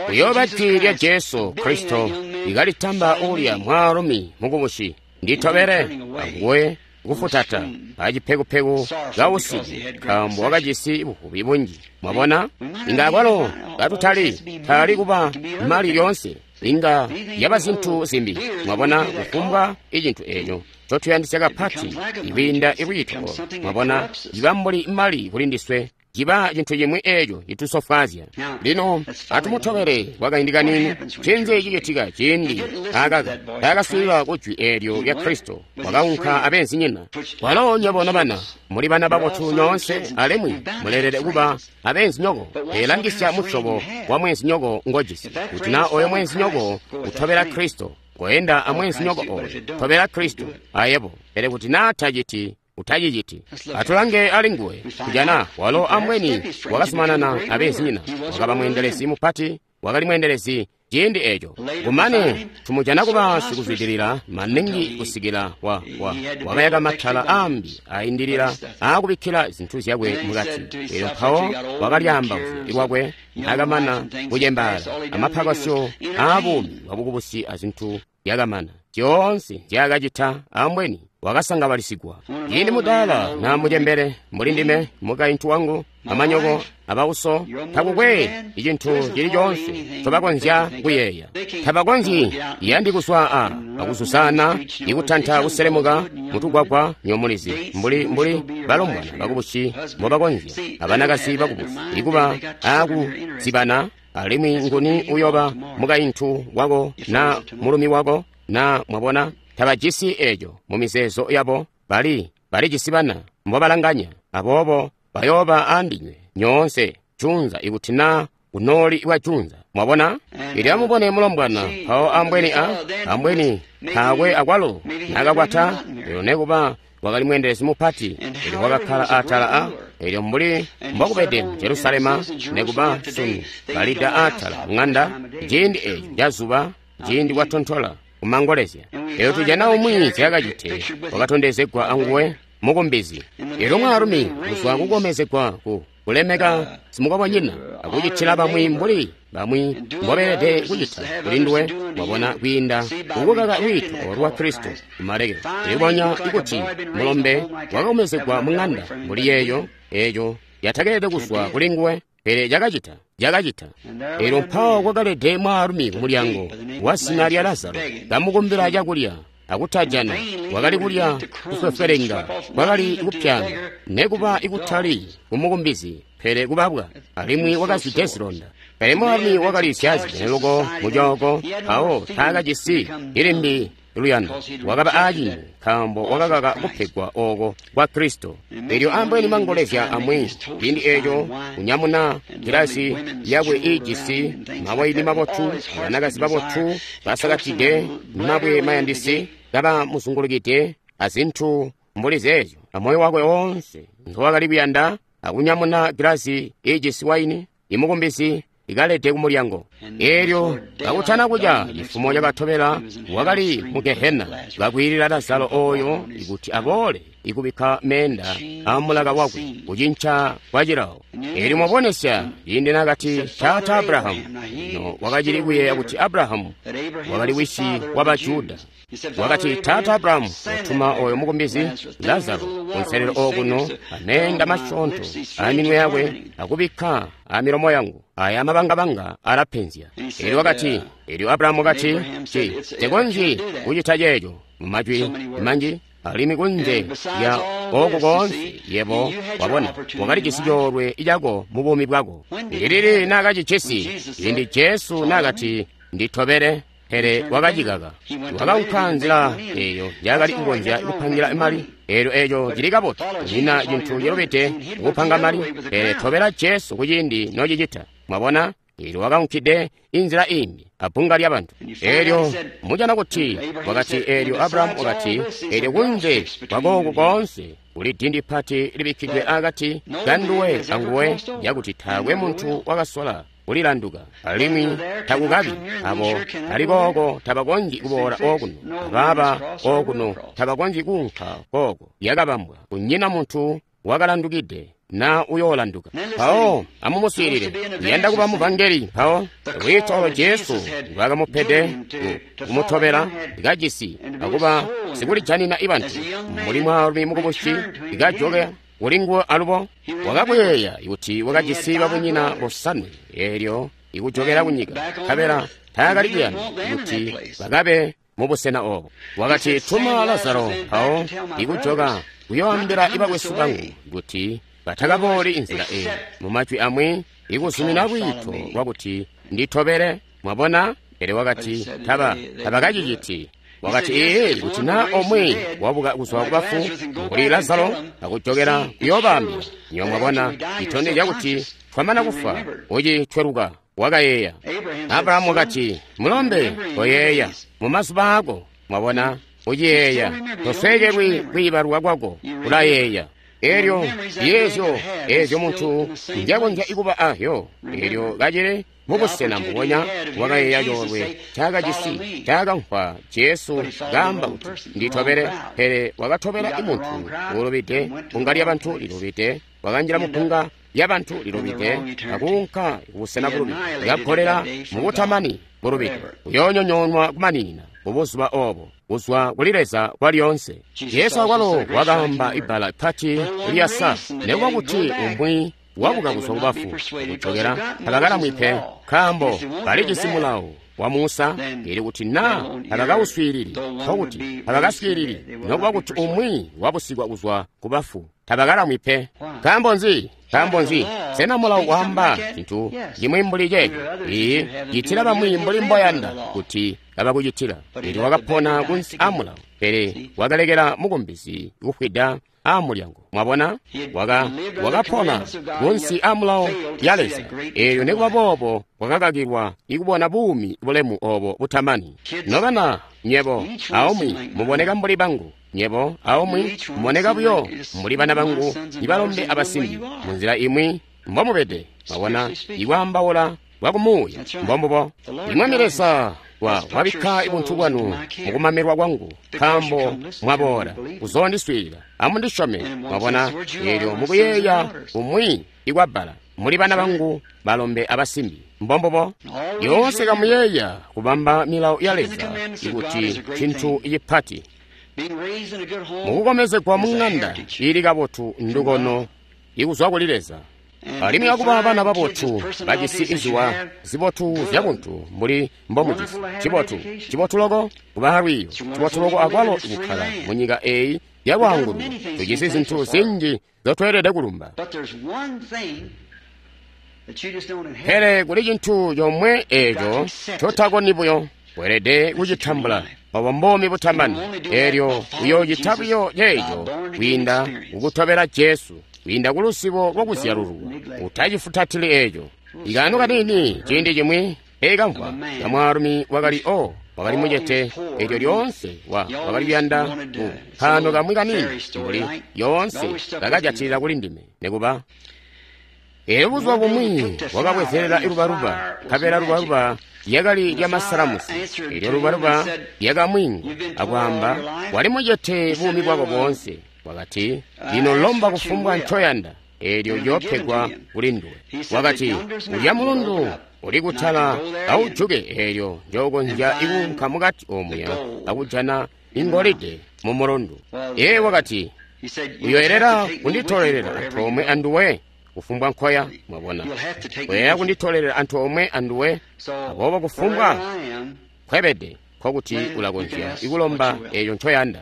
Kuyooba jwi lya Jesu Kristo ikalitamba uulya mwaalumi mukubusi, nditobele, anguwe kufutata acipekupeku kausiku, nkaambo wakajisi buvubi bunji. Mwabona, inga akwalo katutali taali kuba mali lyoonse, inga yaba zintu zimbi. Mwabona, kufumbwa icintu eco ncotuyandisya kapati ikwiinda ilwiito olo, mwabona, ciba mbuli mali kuli ndiswe, ciba cintu cimwi eco citusofwaazya. Lino atumutobele kwakaindi kaniini. Ncinzi cicitika ciindi akaka taakaswiilila ku jwi eelyo lya Kristo? Wakaunka abeenzinyina. Walo nywebo nobana muli bana babotu nyoonse, alimwi muleelede kuba abeenzinyoko. Eelangisya musyobo wa mweenzinyoko ngojisi. Kuti naa oyo mweenzinyoko utobela Kristo, koenda amweenzinyoko oyo, tobela Kristo ayebo. Pele kuti naa taciti, utaciciti. Atulange alinguwe. Kujana walo ambweni wakazumanana abeenzinyina, wakaba mweendelezi mupati, wakali mweendelezi ciindi eco. Kumane tumujana kuba sikuzwidilila maningi kusikila wa, wa, wakayaka matala aambi aindilila aakubikkila zintu zyakwe mukati. Elyo mpawo wakalyaamba lwakwe naakamana kucembaala, amapakasyo aabuumi bwabukubusi azintu zyakamana zyoonse nzyaakacita ambweni wakasangabalisigwa. Ciindi mudaala na mucembele mbuli ndime, mukaintu wangu, amanyoko, abauso, takukwe icintu cili coonse ncobakonzya kuyeeya. Tabakonzyi yandi kuswa a akuzuzana ikutanta kuselemuka mutugwagwa nyomulizi mbuli mbuli balombwana bakubusi mbobakonzya abanakazi bakubusi ikuba akuzibana. Alimwi nguni uyoba mukaintu wako na mulumi wako na mwabona, tabajisi eco mu mizeezo yabo. Bali balijisi bana mbobalanganya, aboobo bayooba andinywe nyoonse junza ikuti naa kunooli bwa junza. Mwabona, ili amubone mulombwana mpawo ambweni a ambweni taakwe akwalo nakakwata, elyo nekuba wakali mweendelezi mupati, elyo wakakkala atala a elyo mbuli mbokubede mu Jerusalema nekuba sunu balida atala ng'anda ciindi eco cazuba, ciindi kwatontola kumangolezya. Elyo tujana umwi zyakacite wakatondezegwa anguwe mukumbizi. Elyo mwaalumi kuzwa kukomezegwa ku kulemeka simukobonyina akucitila bamwi mbuli bamwi mbobeelede kucita kuli nduwe, mwabona, kwiinda kukukaka lwiito lwa Kristo kumalekelo. Ilibonya ikuti mulombe wakakomezegwa mu ng'anda mbuli yeeyo eeyo yatakeelede kuzwa kuli nguwe. Pele cakacita, cakacita. Elyo mpawo kwakalede mwaalumi ku mulyango wa zina lya Lazaro, kamukumbila cakulya, akutajana. Wakali kulya kufwefwelenga, kwakali kupyaanga, nekuba ikutali kumukumbizi, pele kubabwa, alimwi wakazwide zilonda. Pele mwaalumi wakali syaazibwene loko mucooko, mpawo taakajisi ilimbi luyando. Wakaba aacintu, nkaambo wakakaka kupegwa ooko kwa Kristo. Elyo ambweni mangolezya amwi, ciindi eeco kunyamuna gilasi yakwe iijisi mawaini mabotu, banakazi babotu basakatide mabwe mayandisi kaba muzungulukide azintu mbuli zeezyo, amoyo wakwe woonse ngowakali kuyanda, akunyamuna gilasi iijisi waini, imukumbizi ikalede kumulyango. Elyo kakutana kuca, cifumo cakatobela wakali mu Gehena, kakwiilila Lazaro oyo ikuti aboole ikubikka meenda amulaka wakwe, kucinca kwa cilawo. Elyo mwabonesya ciindi nakati taata Abrahamu, no wakacili kuyeeya kuti Abrahamu wakali wisi wa Bajuda. Wakati taata Abrahamu watuma oyo mukumbizi Lazaro kunselelo okuno ameenda masyoonto aminwe yakwe akubikka amilomo yangu, aya mabangabanga alapenzya. Elyo wakati, elyo Abrahamu wakati, ci tekonzyi kucita ceeco mumajwi manji, alimwi kunze lya oku koonse yebo wabona wakalijisi coolwe cako mu buumi bwako. Ndilili naakacijisi? Ciindi Jesu naakati nditobele, pele wakacikaka. Wakaunka nzila eyo njakali kukonzya kupangila mali. Elyo eco cili kabotu, kunyina cintu cilubide kupanga mali, pele tobela Jesu kuciindi nocicita. Mwabona? Elyo wakaunkide inzila imbi abbunga lyabantu. Elyo mujana kuti wakati, elyo Abrahamu wakati, elyo kunze kwakooku koonse kuli dindi pati libikkidwe akati kanduwe anguwe, yakuti taakwe muntu wakasola kulilanduka, alimwi takukabi abo ali kooko tabakonzyi kuboola okuno, abaaba okuno tabakonzyi kuunka kooko. Yakabambwa, kunyina muntu wakalandukide na uyoolanduka. Mpawo amumuswiilile, uyanda kuba muvangeli. Mpawo lwiito olo Jesu lwakamupede kumutobela kajisi akuba sikulijanina ibantu mbuli mwaalumi mukubusi kajoka kuli nguwe alubo. Wakakuyeeya kuti wakajisi babunyina bosanwe, eelyo ikujokela kunyika, nkabela taakali kuyanda kuti bakabe mubusena obo. Wakati, tuma Lazaro mpawo ikujoka kuyoambila ibakwesu bangu kuti batakabooli inzila eyi. Mumajwi amwi, ikuzumina lwiito lwakuti nditobele. Mwabona? Pele wakati taba tabakaciciti. Wakati, ee, kuti na omwe wabuka kuzwa kubafu mbuli Lazaro akujokela kuyoobambila. Nyo mwabona, itondezya kuti twamana kufwa ucitweluka. Wakayeeya. Abrahamu wakati, mulombe, koyeeya mumazuba ako. Mwabona, uciyeeya, tosweekelwi kwiibalwa kwako, ulayeeya. Elyo yeezyo eezyo muntu njakonzya ikuba ahyo. Elyo kacili mubusena mbubonya wakayeeya coolwe ncaakajisi, ncaakamvwa Jesu kaamba kuti nditobele, pele wakatobela imuntu uulubide, punga lyabantu lilubide, wakanjila mupunga lyabantu lilubide, akuunka kubusena bulubide, lyagolela mubutamani bulubide, uyoonyonyoonwa kumaninina mubuzuba obo kuzwa kuli Leza kwalyoonse. Jesu akwalo wakaamba ibbala pati lyasa, nekuba kuti umwi wabuka kuzwa kubafu akujokela tabakalamwi pe, nkaambo balijisi mulawo wa Musa, ili kuti na tabakawuswiilili, nkokuti tabakaswiilili, nokuba kuti umwi wabusigwa kuzwa kubafu tabakalamwi pe. Nkaambo nzi? Nkaambo nzi? Sena mulawo waamba cintu cimwi mbuli ceeco? Iiyi, citila bamwi mbuli mboyanda kuti kabakucitila. Elyo wakapona kunsi amulawo, pele wakalekela mukumbizi kufwida amulyango. Mwabona? Waka wakapona kunsi amulawo ya Leza, eelyo nekuba boobo wakakakilwa ikubona buumi bulemu obo butamani. Nobana, nyebo aumwi muboneka mbuli bangu, nyebo aumwi muboneka buyo mbuli bana bangu ibalombe abasimbi, munzila imwi mbomubede. Mwabona, ikwaambaula bwakumuuya mbombubo. Imwami Leza wa wabikka ibuntu bwanu mukumamirwa kwangu, nkaambo mwaboola kuzoondiswiilila. Amundisyome. Mwabona, eelyo mukuyeeya umwi ikwabbala, muli bana bangu balombe abasimbi. Mbombubo. Lyoonse kamuyeeya kubamba milawo ya Leza ikuti cintu cipati. Mukukomezegwa mu ŋanda ili kabotu ndukono ikuzwa kuli Leza. Alimwi akuba bana babotu bajisi iziwa zibotu zyabuntu mbuli mbomujisi. Cibotu, cibotu loko kuba alwiiyo, cibotu loko akwalo kukkala munyika eyi yalwaanguluko. Tujisi zintu zinji zotweelede kulumba. Pele kuli cintu comwe eeco cotakoni buyo, weelede kucitambula. Obo mbomi butamani. Eelyo uyoocita buyo ceeco kwiinda kukutobela Jesu, kwiinda ku lusibo lwakuzyalululwa. Utacifutatili eeco. Ikaano kaniini ciindi cimwi ekamvwa kamwaalumi wakali o wakali mucete, eelyo lyoonse wa wakali kuyanda ku kaano kamwi kaniini mbuli yoonse kakajatilila kuli ndime nekuba. Eelyo buzuba bumwi wakabwezelela ilubaluba, nkabela lubaluba lyakali lya masalamusi. Eelyo lubaluba lyakamwingwa akwaamba, wali mucete buumi bwako boonse. Wakati, lino lomba kufumbwa ncoyanda, eelyo yoopegwa kuli nduwe. Wakati, ulya mulundu uli kutala aujuke, eelyo njookonzya ikuunka mukati omuya akujana ingolide mu mulundu. Ee wakati, uyoelera kunditolelela antoomwe anduwe kufumbwa nkoya. Mwabona, uyoelera kunditolelela antoomwe anduwe. Aboobo kufumbwa nkwebede, nkokuti ulakonzya ikulomba eeco ncoyanda.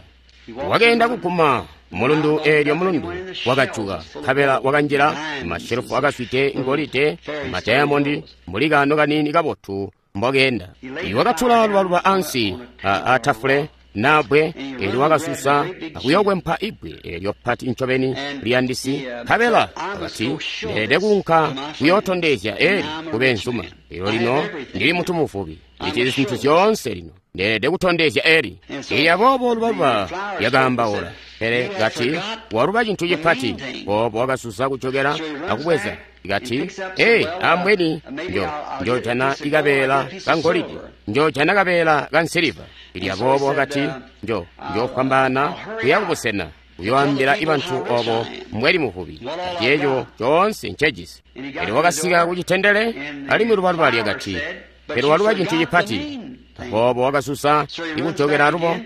Wakeenda kuguma mulundu, eelyo mulundu wakajuka, nkabela wakanjila mashelufu akazwide ngolide, madayamondi, mbuli kaano kaniini kabotu mbokeenda. Wakatula lubaluba ansi atafule nabbwe, eelyo wakasusa akuyokwempa ibbwe eelyo pati ncobeni liyandisi. Nkabela wakati, ndeelede kuunka kuyootondezya eli kubeenzuma. Eelyo lino ndili muntu muvubi, ndijisi zintu zyoonse lino, ndeelede kutondezya eli. Eelyo aboobo lubaluba lyakaambaula, pele kati, waluba cintu cipati. Boobo wakasusa kujokela akubweza. Kati, ee, ambweni njo njojana ikabeela kangolide, njojana kabeela kansiliva. Ili aboobo wakati, njo njofwambaana kuya kubusena kuyoambila ibantu obo mbweli muvubi, ati eco coonse ncejisi. Elyo wakasika kucitendele, alimwi lubaluba lyakati, pele waluba cintu cipati. Aboobo wakasusa ikujokela alubo.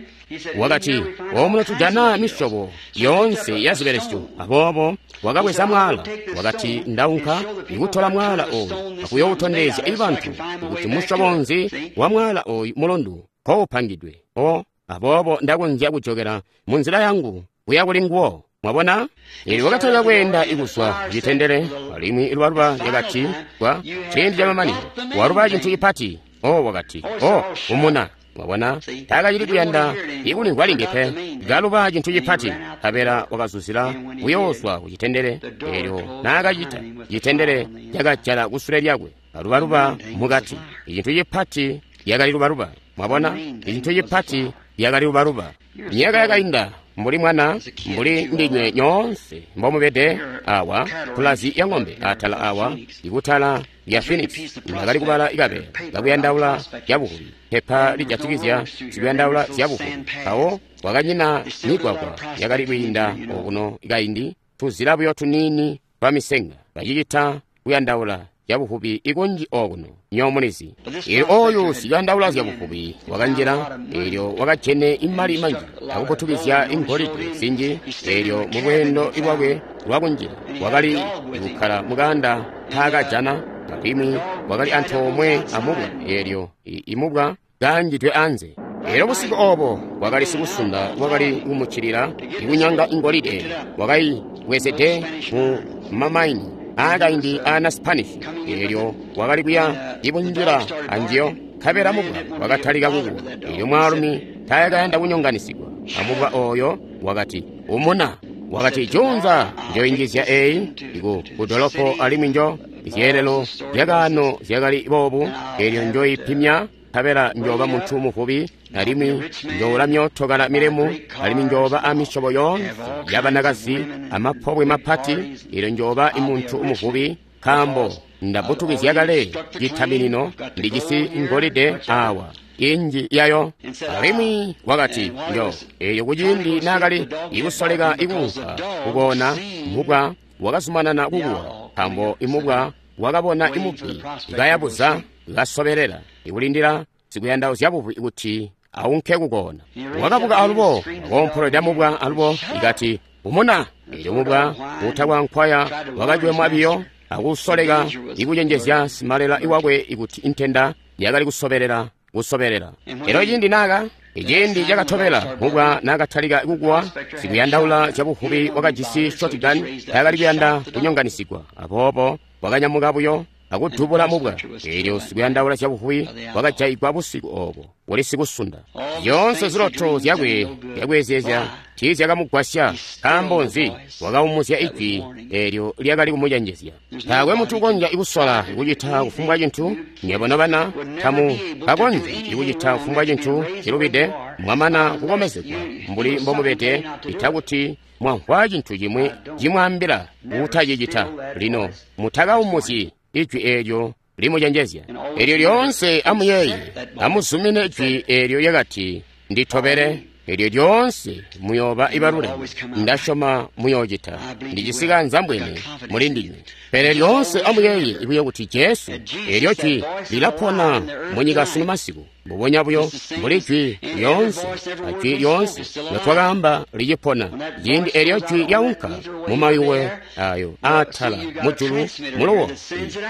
Wakati, omuno tujana misyobo yoonse ya zibelesyo. Aboobo wakabweza mwaala. Wakati, ndaunka ikutola mwaala oyu akuyoutondezya ibantu kuti musyobo nzi wa mwaala oyu mulundu koupangidwe. O aboobo ndakonzya kujokela munzila yangu kuya kuli nguwo. Mwabona? Eelyo wakatalika kweenda ikuzwa kucitendele, alimwi ilubaluba lyakati kwa ciindi camamanino waluba cintu cipati. O wakati, o umuna. Mwabona, taakacili kuyanda ikulimvwa limbi pe. Kaluba cintu cipati, nkabela wakazuzila kuyoozwa kucitendele. Eelyo naakacita, citendele cakajala kusule lyakwe, alubaluba mukati. Icintu cipati lyakali lubaluba. Mwabona, icintu cipati lyakali lubaluba. Myaka yakainda, mbuli mwana, mbuli ndinywe nyoonse mbomubede awa, pulazi ya ng'ombe atala awa, ikutala lya Phoenix, ndakali kubala ikabeela kakuyandaula zyabuvubi, pepa lijatikizya zikuyandaula zyabuvubi. Mpawo kwakanyina migwagwa yakali kwiinda okuno kaindi, tuzila buyo tuniini twa misenga, bacicita kuyandaula zyabuvubi ikunji okuno nyomulizi. Eelyo oyu sikuyandaula zyabuvubi wakanjila, eelyo wakajene imali manji akuputukizya ingolide zinji. Eelyo mulweendo lwakwe lwakunjila wakali kukkala mukaanda nkaakajana, alimwi wakali antoomwe amubwa, eelyo imubwa kaanjidwe anze. Eelyo busiku obo wakali sikusunda wakali kumuccilila ikunyanga ingolide, wakaibwezede mu mamaini aakaindi aana Spanish. Eelyo wakali kuya ibunjila anjiyo, nkabela mubwa wakatalika kukuwa. Eelyo mwaalumi taakayanda kunyonganisigwa amubwa oyo, wakati, umuna. Wakati, junza njoinjizya eyi iku kudolopo, alimwi njo zyeelelo zyakaano zyakali boobu. Eelyo njoipimya, nkabela njooba muntu muvubi, alimwi njoula myootokala milemu, alimwi njooba amisyobo yoonse yabanakazi amapobwe mapati. Eelyo njooba imuntu muvubi, nkaambo ndabutukizya kale citaminino, ndijisi ngolide awa inji yayo. Alimwi wakati, njo eyo kuciindi naakali ikusoleka ikuunka kukoona, mubwa wakazumanana kukuwa, nkaambo imubwa wakabona imubbi kayabuza kasobelela ikulindila sikuyandaula zyabuvubi kuti aunke kukoona. Wakabuka alubo wakoompolweda mubwa alubo ikati, umuna. Eelyo mubwa utakwa nkwaya wakacwemwa biyo akusoleka ikucenjezya simalela iwakwe ikuti intenda yakali kusobelela kusobelela. Elyo ciindi naka iciindi cakatobela mubwa nakatalika kukuwa, sikuyandaula zyabuvubi wakajisi shotgun taakali kuyanda kunyonganisigwa, aboobo wakanyamuka buyo akudubula mubwa. Elyo sikuyandaula zyabuvubi wakajayigwa busiku obo kuli sikusunda. Zyoonse ziloto zyakwe zyakweezyezya tiizyakamugwasya. Nkaambo nzi? Wakaumuzya ijwi eelyo lyakali kumucenjezya. Taakwe muntu ukonzya kusola kucita kufumbwa cintu. Nywebo nobana tamu kakonzyi kucita kufumbwa cintu cilubide mwamana kukomezegwa mbuli mbomubede, ita kuti mwamvwa cintu cimwi cimwaambila kutacicita. Lino mutakaumuzyi ijwi eelyo limucenjezya. Elyo lyoonse amuyeeye, amuzumine ijwi eelyo lyakati nditobele. Elyo lyoonse muyooba ibaluleme. Ndasyoma muyoocita. Ndijisi kanzambwene muli ndinywe. Pele lyoonse amuyeeye buyo kuti Jesu, eelyo jwi lilapona munyika sunu masiku, mbubonya buyo mbuli jwi lyoonse ajwi lyoonse lotwakaamba licipona. Ciindi eelyo jwi lyaunka mumayuwe ayo aatala mujulu muluwo,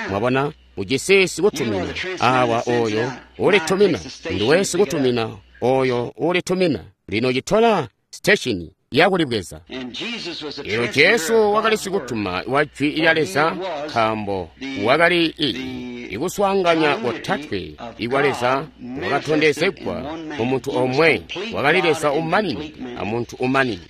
mwabona, ujisi sikutumina awa oyo ulitumina, nduwe sikutumina oyo ulitumina. Lino citola siteshini yakulibweza. Elyo Jesu wakali sikutuma wa jwi lya Leza, nkaambo wakali ikuswaanganya kotatwe ikwa Leza wakatondezegwa mu muntu omwe. Wakali Leza umanini amuntu umanini.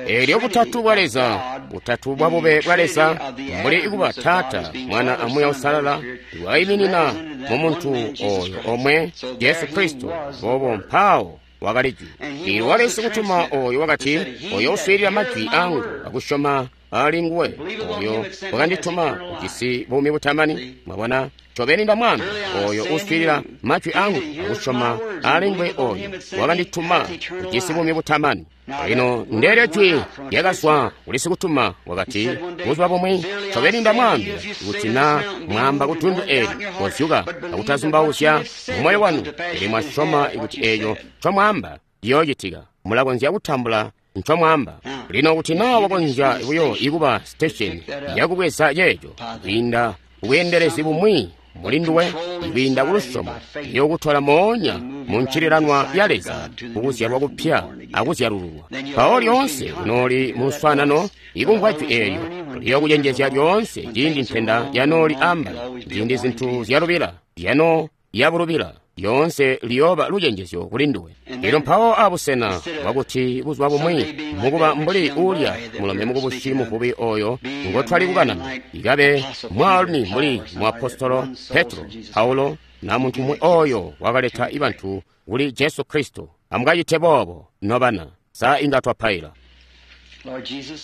Elyo butatu bwa Leza, butatu bwa bube bwa Leza, mbuli ikuba Taata, Mwana aMuuya Uusalala, waiminina mu muntu oyo omwe, Jesu Kristo. Boobo mpawo wakali jwi. Elyo wakali sikutuma oyo wakati, oyo uswiilila majwi angu akusyoma ali nguwe oyo wakandituma ujisi buumi butamani. Mwabona, ncobeni ndamwaambila, oyo uswiilila majwi angu akusyoma ali nguwe oyo wakandituma ujisi buumi butamani. Lino ndeelyo jwi lyakazwa kuli sikutuma wakati, buzuba bumwi ncobeni ndamwaambila kuti na mwamba kudundu eli kozyuka akutazumbauzya mumoyo wanu, pele mwasyoma kuti eeco ncomwaamba ciyoocitika, mulakonzya kutambula ncomwaamba. Lino kuti naa wakonzya buyo ikuba sitesheni yakubweza ceeco kwiinda kubweendelezi bumwi muli nduwe, kwiinda kulusyomo, iyokutola moonya mu ncililanwa ya Leza kukuzyalwa kupya akuzyalululwa. Mpawo lyoonse kunooli mu luswaanano ikumvwa jwi eelyo liyokucenjezya lyoonse ciindi ntenda yanooli ambali, ciindi zintu zyalubila yano yabulubila, lyoonse liyooba lucenjezyo kuli nduwe. Elyo mpawo abusena bwakuti buzuba bumwi mukuba mbuli uulya mulombe mukubusi muvubi oyo ngotwali kukanana, ikabe mwaalumi mbuli muapostolo Petro, Paulo, na muntu umwi oyo wakaleta ibantu kuli Jesu Kristo. Amukacite boobo nobana. Sa inga twapaila.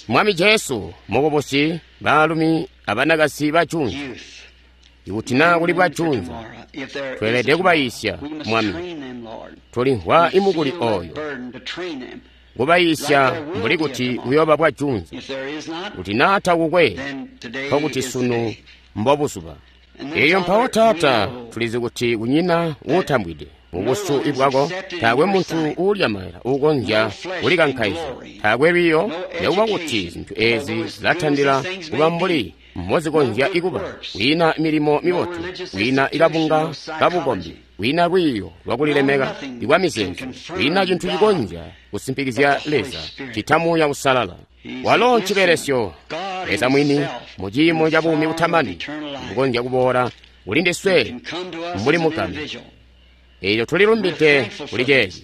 Mwami Jesu, mukubusi, baalumi abanakazi bajunza, ikuti naa kuli bwajunza, tweelede kubayiisya, Mwami. Tulimvwa imukuli oyo kubayiisya mbuli kuti buyoba bwajunza. Kuti naa takukwe, nkokuti sunu mbobuzuba. Elyo mpawo Taata, tulizi kuti kunyina uutambwide mubusu ibwako, taakwe muntu uulya maila uukonzya kulikankaizya, taakwe lwiiyo, nekuba kuti zintu ezi zilatandila kuba mbuli mbozikonzya ikuba. Kwiina milimo mibotu, kwiina ikabunga kabukombi, kwiina lwiiyo lwakulilemeka ikwa mizeezo, kwiina cintu cikonzya kusimpikizya Leza cita Muuya Uusalala. Walo ncibelesyo Leza mwini mu ciimo ca buumi butamani bukonzya kuboola kuli ndiswe mbuli mugame. Elyo tulilumbide kuli ceeci.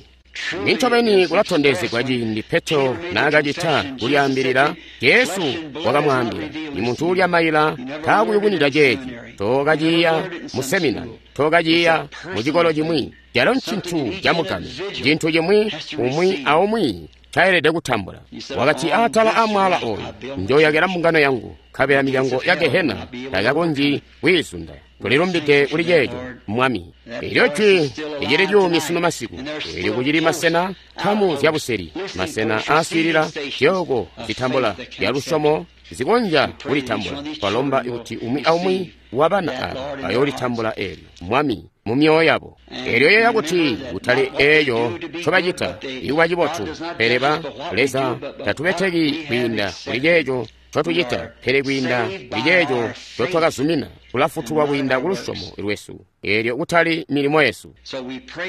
Nincobeni kulatondezegwa ciindi Petro naakacita kulyaambilila, Jesu wakamwaambila, imuntu uulya maila taakuyubunida ceeci. Tookaciiya mu seminari, tookaciiya mu cikolo cimwi. Calo ncintu camugame, cintu cimwi umwi aumwi ncaelede kutambula. Wakati, atala amwaala oyu njoyakela mbungano yangu, nkabela milyango ya Gehena takakonzyi kwiizunda. Tulilumbide kuli ceeco, Mwami. Elyo jwi licili lyuumi sunu masiku. Elyo kucili masena nkamu zyabuseli, masena aaswiilila zyooko zitambula zyalusyomo zikonzya kulitambula. Twalomba kuti umwi aumwi wabana aba bayoolitambula eelyo, Mwami, mu myoyo yabo. Elyo yeeya kuti kutali eeyo ncobacita ikuba cibotu, pele ba Leza tatubeteki kwiinda kuli ceeco ncotucita, pele kwiinda kuli ceeco ncotwakazumina, tulafutulwa kwiinda ku lusyomo lwesu, eelyo kutali milimo yesu.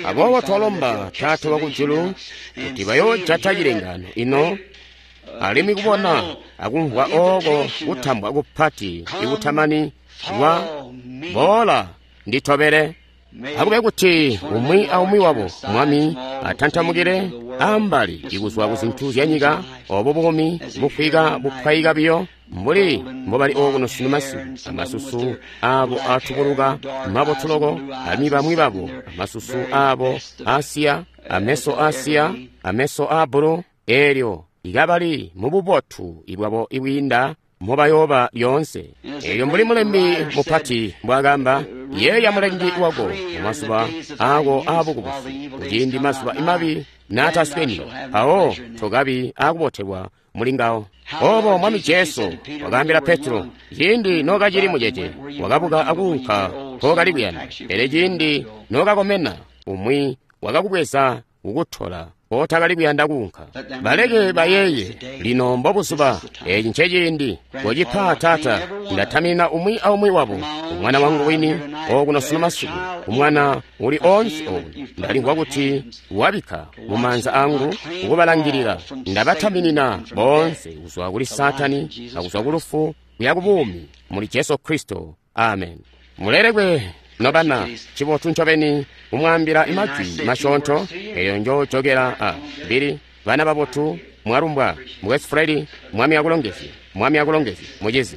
Aboobo twalomba Taata wakujulu kuti bayoojata cilengaano ino, alimwi kubona akumvwa ooko kutambwa kupati ikutamani kwa boola nditobele. Akube kuti umwi aumwi wabo, Mwami, atantamukile ambali ikuzwa ku zintu zya nyika, obo buumi bufwika bupwayika biyo, mbuli mbobali okuno sunu masiku, amasusu abo atubuluka mabotu loko, alimwi bamwi babo amasusu abo asiya, ameso asiya, ameso aabbulu, eelyo ikabali mububotu ibwabo ibwiinda mobayooba lyoonse. Eelyo mbuli mulembi mupati mbwaakamba, yeeya mulengi wako mumazuba aako aabukubusi, kuciindi mazuba mabi naatasweni, mpawo tokabi aakubotelwa muli ngawo. Obo Mwami Jesu wakaambila Petro, ciindi nookacili mucece, wakabuka akuunka nkookali kuyanda, pele ciindi nookakomena, umwi wakakubweza kukutola kootakali kuyanda kuunka. Baleke bayeeye, lino mbobuzuba, eci nceciindi. Kocipa, Taata, ndatamina umwi aumwi wabo, umwana wangu wini okuno sunu masiku, umwana uli onse okuno. Ndalimvwa kuti wabikka mu maanza angu kukubalangilila. Ndabataminina boonse kuzwa kuli Saatani akuzwa ku lufu kuya ku buumi muli Jesu Kristo. Amen. Mulelekwe nobana, cibotu ncobeni kumwaambila majwi masyoonto, eyo njojokela a bili bana babotu mwalumbwa. Mukwesu Fred, Mwami akulongezye. Mwami akulongezye, mucizi.